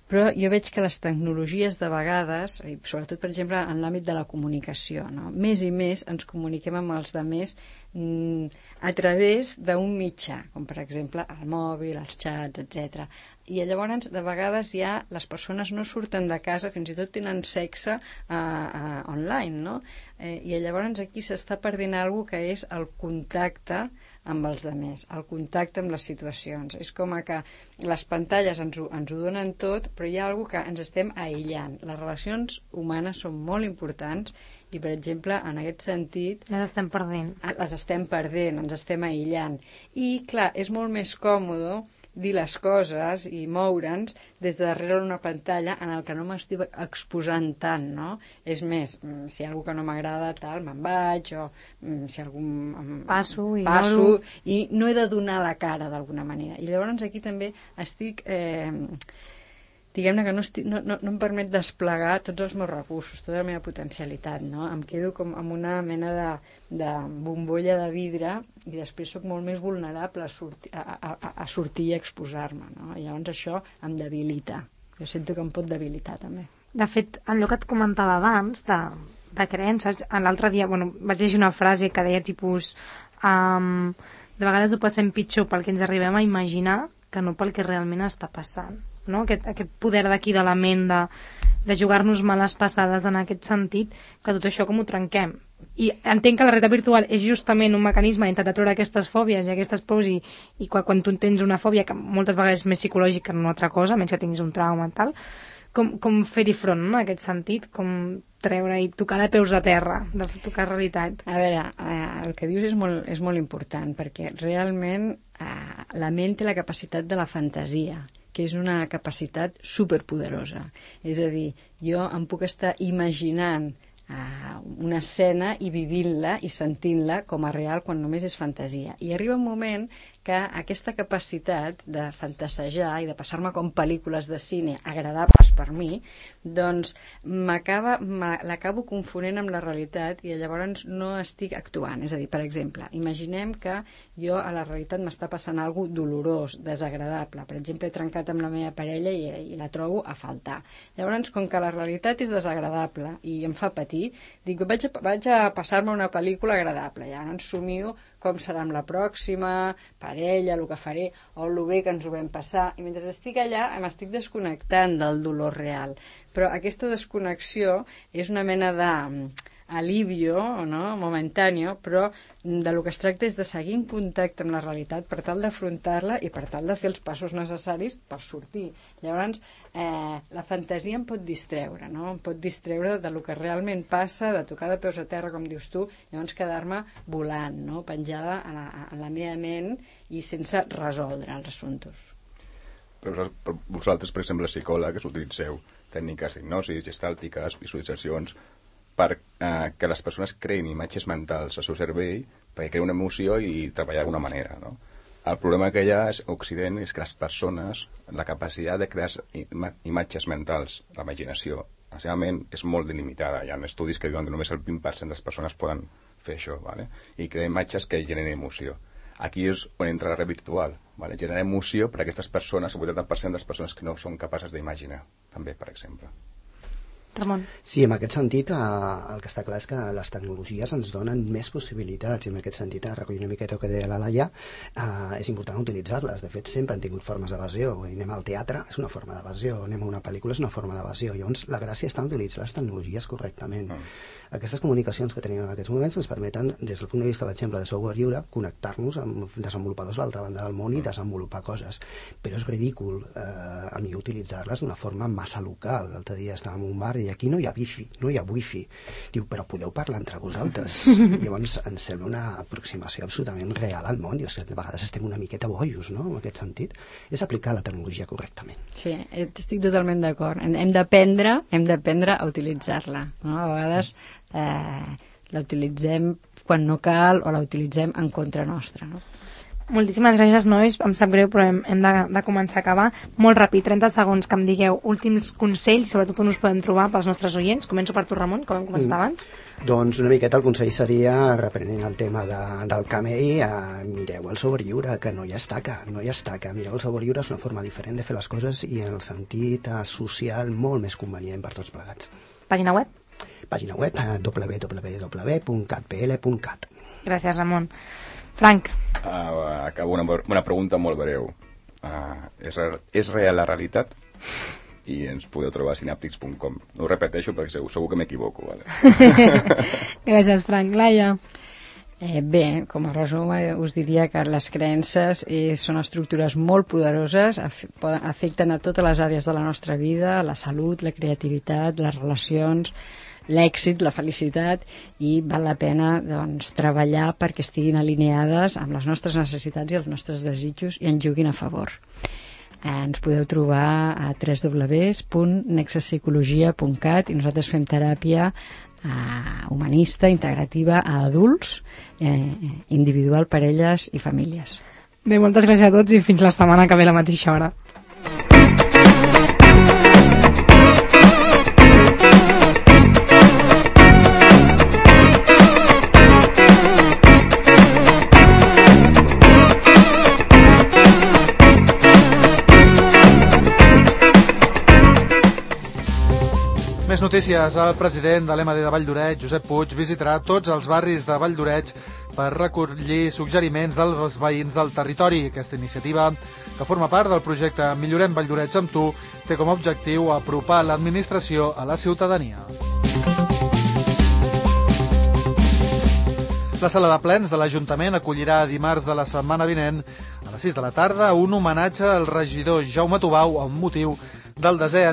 Però jo veig que les tecnologies de vegades, sobretot per exemple en l'àmbit de la comunicació, no? Més i més ens comuniquem amb els altres a través d'un mitjà, com per exemple el mòbil, els xats, etc. I llavors de vegades ja les persones no surten de casa, fins i tot tenen sexe online, no? I llavors aquí s'està perdent alguna cosa que és el contacte amb els altres, el contacte amb les situacions. És com que les pantalles ens ho donen tot, però hi ha alguna cosa que ens estem aïllant. Les relacions humanes són molt importants i, per exemple, en aquest sentit... Les estem perdent. Les estem perdent, ens estem aïllant. I, clar, és molt més còmode dir les coses i moure'ns des de darrere una pantalla en el que no m'estic exposant tant, no? És més, si hi ha alguna que no m'agrada, tal, me'n vaig, o si algun... Passo i no he de donar la cara d'alguna manera. I llavors aquí també estic diguem-ne que no em permet desplegar tots els meus recursos, tota la meva potencialitat, no? Em quedo com amb una mena de bombolla de vidre i després sóc molt més vulnerable a sortir i exposar-me, no? I llavors això em debilita. Jo sento que em pot debilitar, també. De fet, allò que et comentava abans, de creences, l'altre dia, vaig llegir una frase que deia tipus de vegades ho passem pitjor pel que ens arribem a imaginar que no pel que realment està passant. No? Aquest poder d'aquí de la ment de jugar-nos males passades en aquest sentit, que tot això com ho trenquem. I entenc que la realitat virtual és justament un mecanisme d'intentar treure aquestes fòbies i aquestes pors i quan tu tens una fòbia que moltes vegades és més psicològica que no una altra cosa, menys que tinguis un trauma i tal, com fer-hi front, no? En aquest sentit, com treure i tocar de peus a terra, de tocar realitat. A veure, el que dius és molt important, perquè realment la ment té la capacitat de la fantasia, que és una capacitat superpoderosa. És a dir, jo em puc estar imaginant una escena i vivint-la i sentint-la com a real quan només és fantasia. I arriba un moment que aquesta capacitat de fantasejar i de passar-me com pel·lícules de cine agradables per mi, doncs l'acabo confonent amb la realitat i llavors no estic actuant. És a dir, per exemple, imaginem que jo a la realitat m'està passant alguna cosa dolorós, desagradable. Per exemple, he trencat amb la meva parella i la trobo a faltar. Llavors, com que la realitat és desagradable i em fa patir, dic, vaig a passar-me una pel·lícula agradable. Llavors somio com serà amb la pròxima parella, el que faré, o el bé que ens ho vam passar. I mentre estic allà m'estic desconnectant del dolor real. Però aquesta desconnexió és una mena d'alivio, no? Momentani, però del que es tracta és de seguir en contacte amb la realitat per tal d'afrontar-la i per tal de fer els passos necessaris per sortir. Llavors, la fantasia em pot distreure, no? Em pot distreure del que realment passa, de tocar de peus a terra, com dius tu, llavors quedar-me volant, no? Penjada a la meva ment i sense resoldre els assumptes. Però vosaltres, per exemple, psicòlegs, utilitzeu tècniques d'hipnosis, gestàltiques, visualitzacions, per que les persones creïn imatges mentals al seu cervell perquè creïn una emoció i treballar d'alguna manera, no? El problema que hi ha a Occident és que les persones, la capacitat de crear imatges mentals, la imaginació, la seva ment és molt delimitada. Hi ha estudis que diuen que només el 20% de les persones poden fer això, ¿vale? I crear imatges que generen emoció. Aquí és on entra la red virtual, ¿vale? Generar emoció per a aquestes persones, el 80% de les persones que no són capaces d'imaginar, també, per exemple. Ramon. Sí, en aquest sentit, el que està clar és que les tecnologies ens donen més possibilitats i en aquest sentit, recollir una miqueta el que deia la Laia, és important utilitzar-les. De fet, sempre han tingut formes d'evasió. Anem al teatre, és una forma d'evasió. Anem a una pel·lícula, és una forma d'evasió. Llavors, la gràcia està en utilitzar les tecnologies correctament. Aquestes comunicacions que tenim en aquests moments ens permeten, des del punt de vista, per exemple, de software lliure, connectar-nos amb desenvolupadors a l'altra banda del món i desenvolupar coses. Però és ridícul a mi utilitzar-les d'una forma massa local. L'altre dia estàvem en un bar i aquí no hi ha wifi, no hi ha wifi. Diu, però podeu parlar entre vosaltres. Llavors ens sembla una aproximació absolutament real al món. Dius que a vegades estem una miqueta bojos, no?, en aquest sentit. És aplicar la tecnologia correctament. Sí, estic totalment d'acord. Hem d'aprendre a utilitzar-la, no? A vegades la utilitzem quan no cal o la utilitzem en contra nostra, no? Moltíssimes gràcies, nois. Em sap greu, però hem de començar a acabar. Molt ràpid, 30 segons, que em digueu últims consells, sobretot on us podem trobar pels nostres oients. Començo per tu, Ramon, com hem començat abans. Doncs una miqueta el consell seria, reprenent el tema del camell, mireu el software lliure, que no hi ha estaca. Mireu el software lliure, és una forma diferent de fer les coses i en el sentit social molt més convenient per tots plegats. Pàgina web? Pàgina web www.catpl.cat. Gràcies, Ramon. Frank. Acabo una pregunta molt breu. És real la realitat? I ens podeu trobar a synaptics.com. No ho repeteixo perquè segur que m'equivoco. Vale? Gràcies, Frank. Laia. Bé, com a resum us diria que les creences són estructures molt poderoses, afecten a totes les àrees de la nostra vida, la salut, la creativitat, les relacions, l'èxit, la felicitat, i val la pena, doncs, treballar perquè estiguin alineades amb les nostres necessitats i els nostres desitjos i ens juguin a favor. Ens podeu trobar a www.nexuspsicologia.cat i nosaltres fem teràpia humanista, integrativa a adults, individual, parelles i famílies. Bé, moltes gràcies a tots i fins la setmana que ve a la mateixa hora. Més notícies. El president de l'MD de Valldoreix, Josep Puig, visitarà tots els barris de Valldoreix per recollir suggeriments dels veïns del territori. Aquesta iniciativa, que forma part del projecte Millorem Valldoreix amb tu, té com a objectiu apropar l'administració a la ciutadania. La sala de plens de l'Ajuntament acollirà dimarts de la setmana vinent a les 6 de la tarda un homenatge al regidor Jaume Tubau amb motiu del 10è aniversari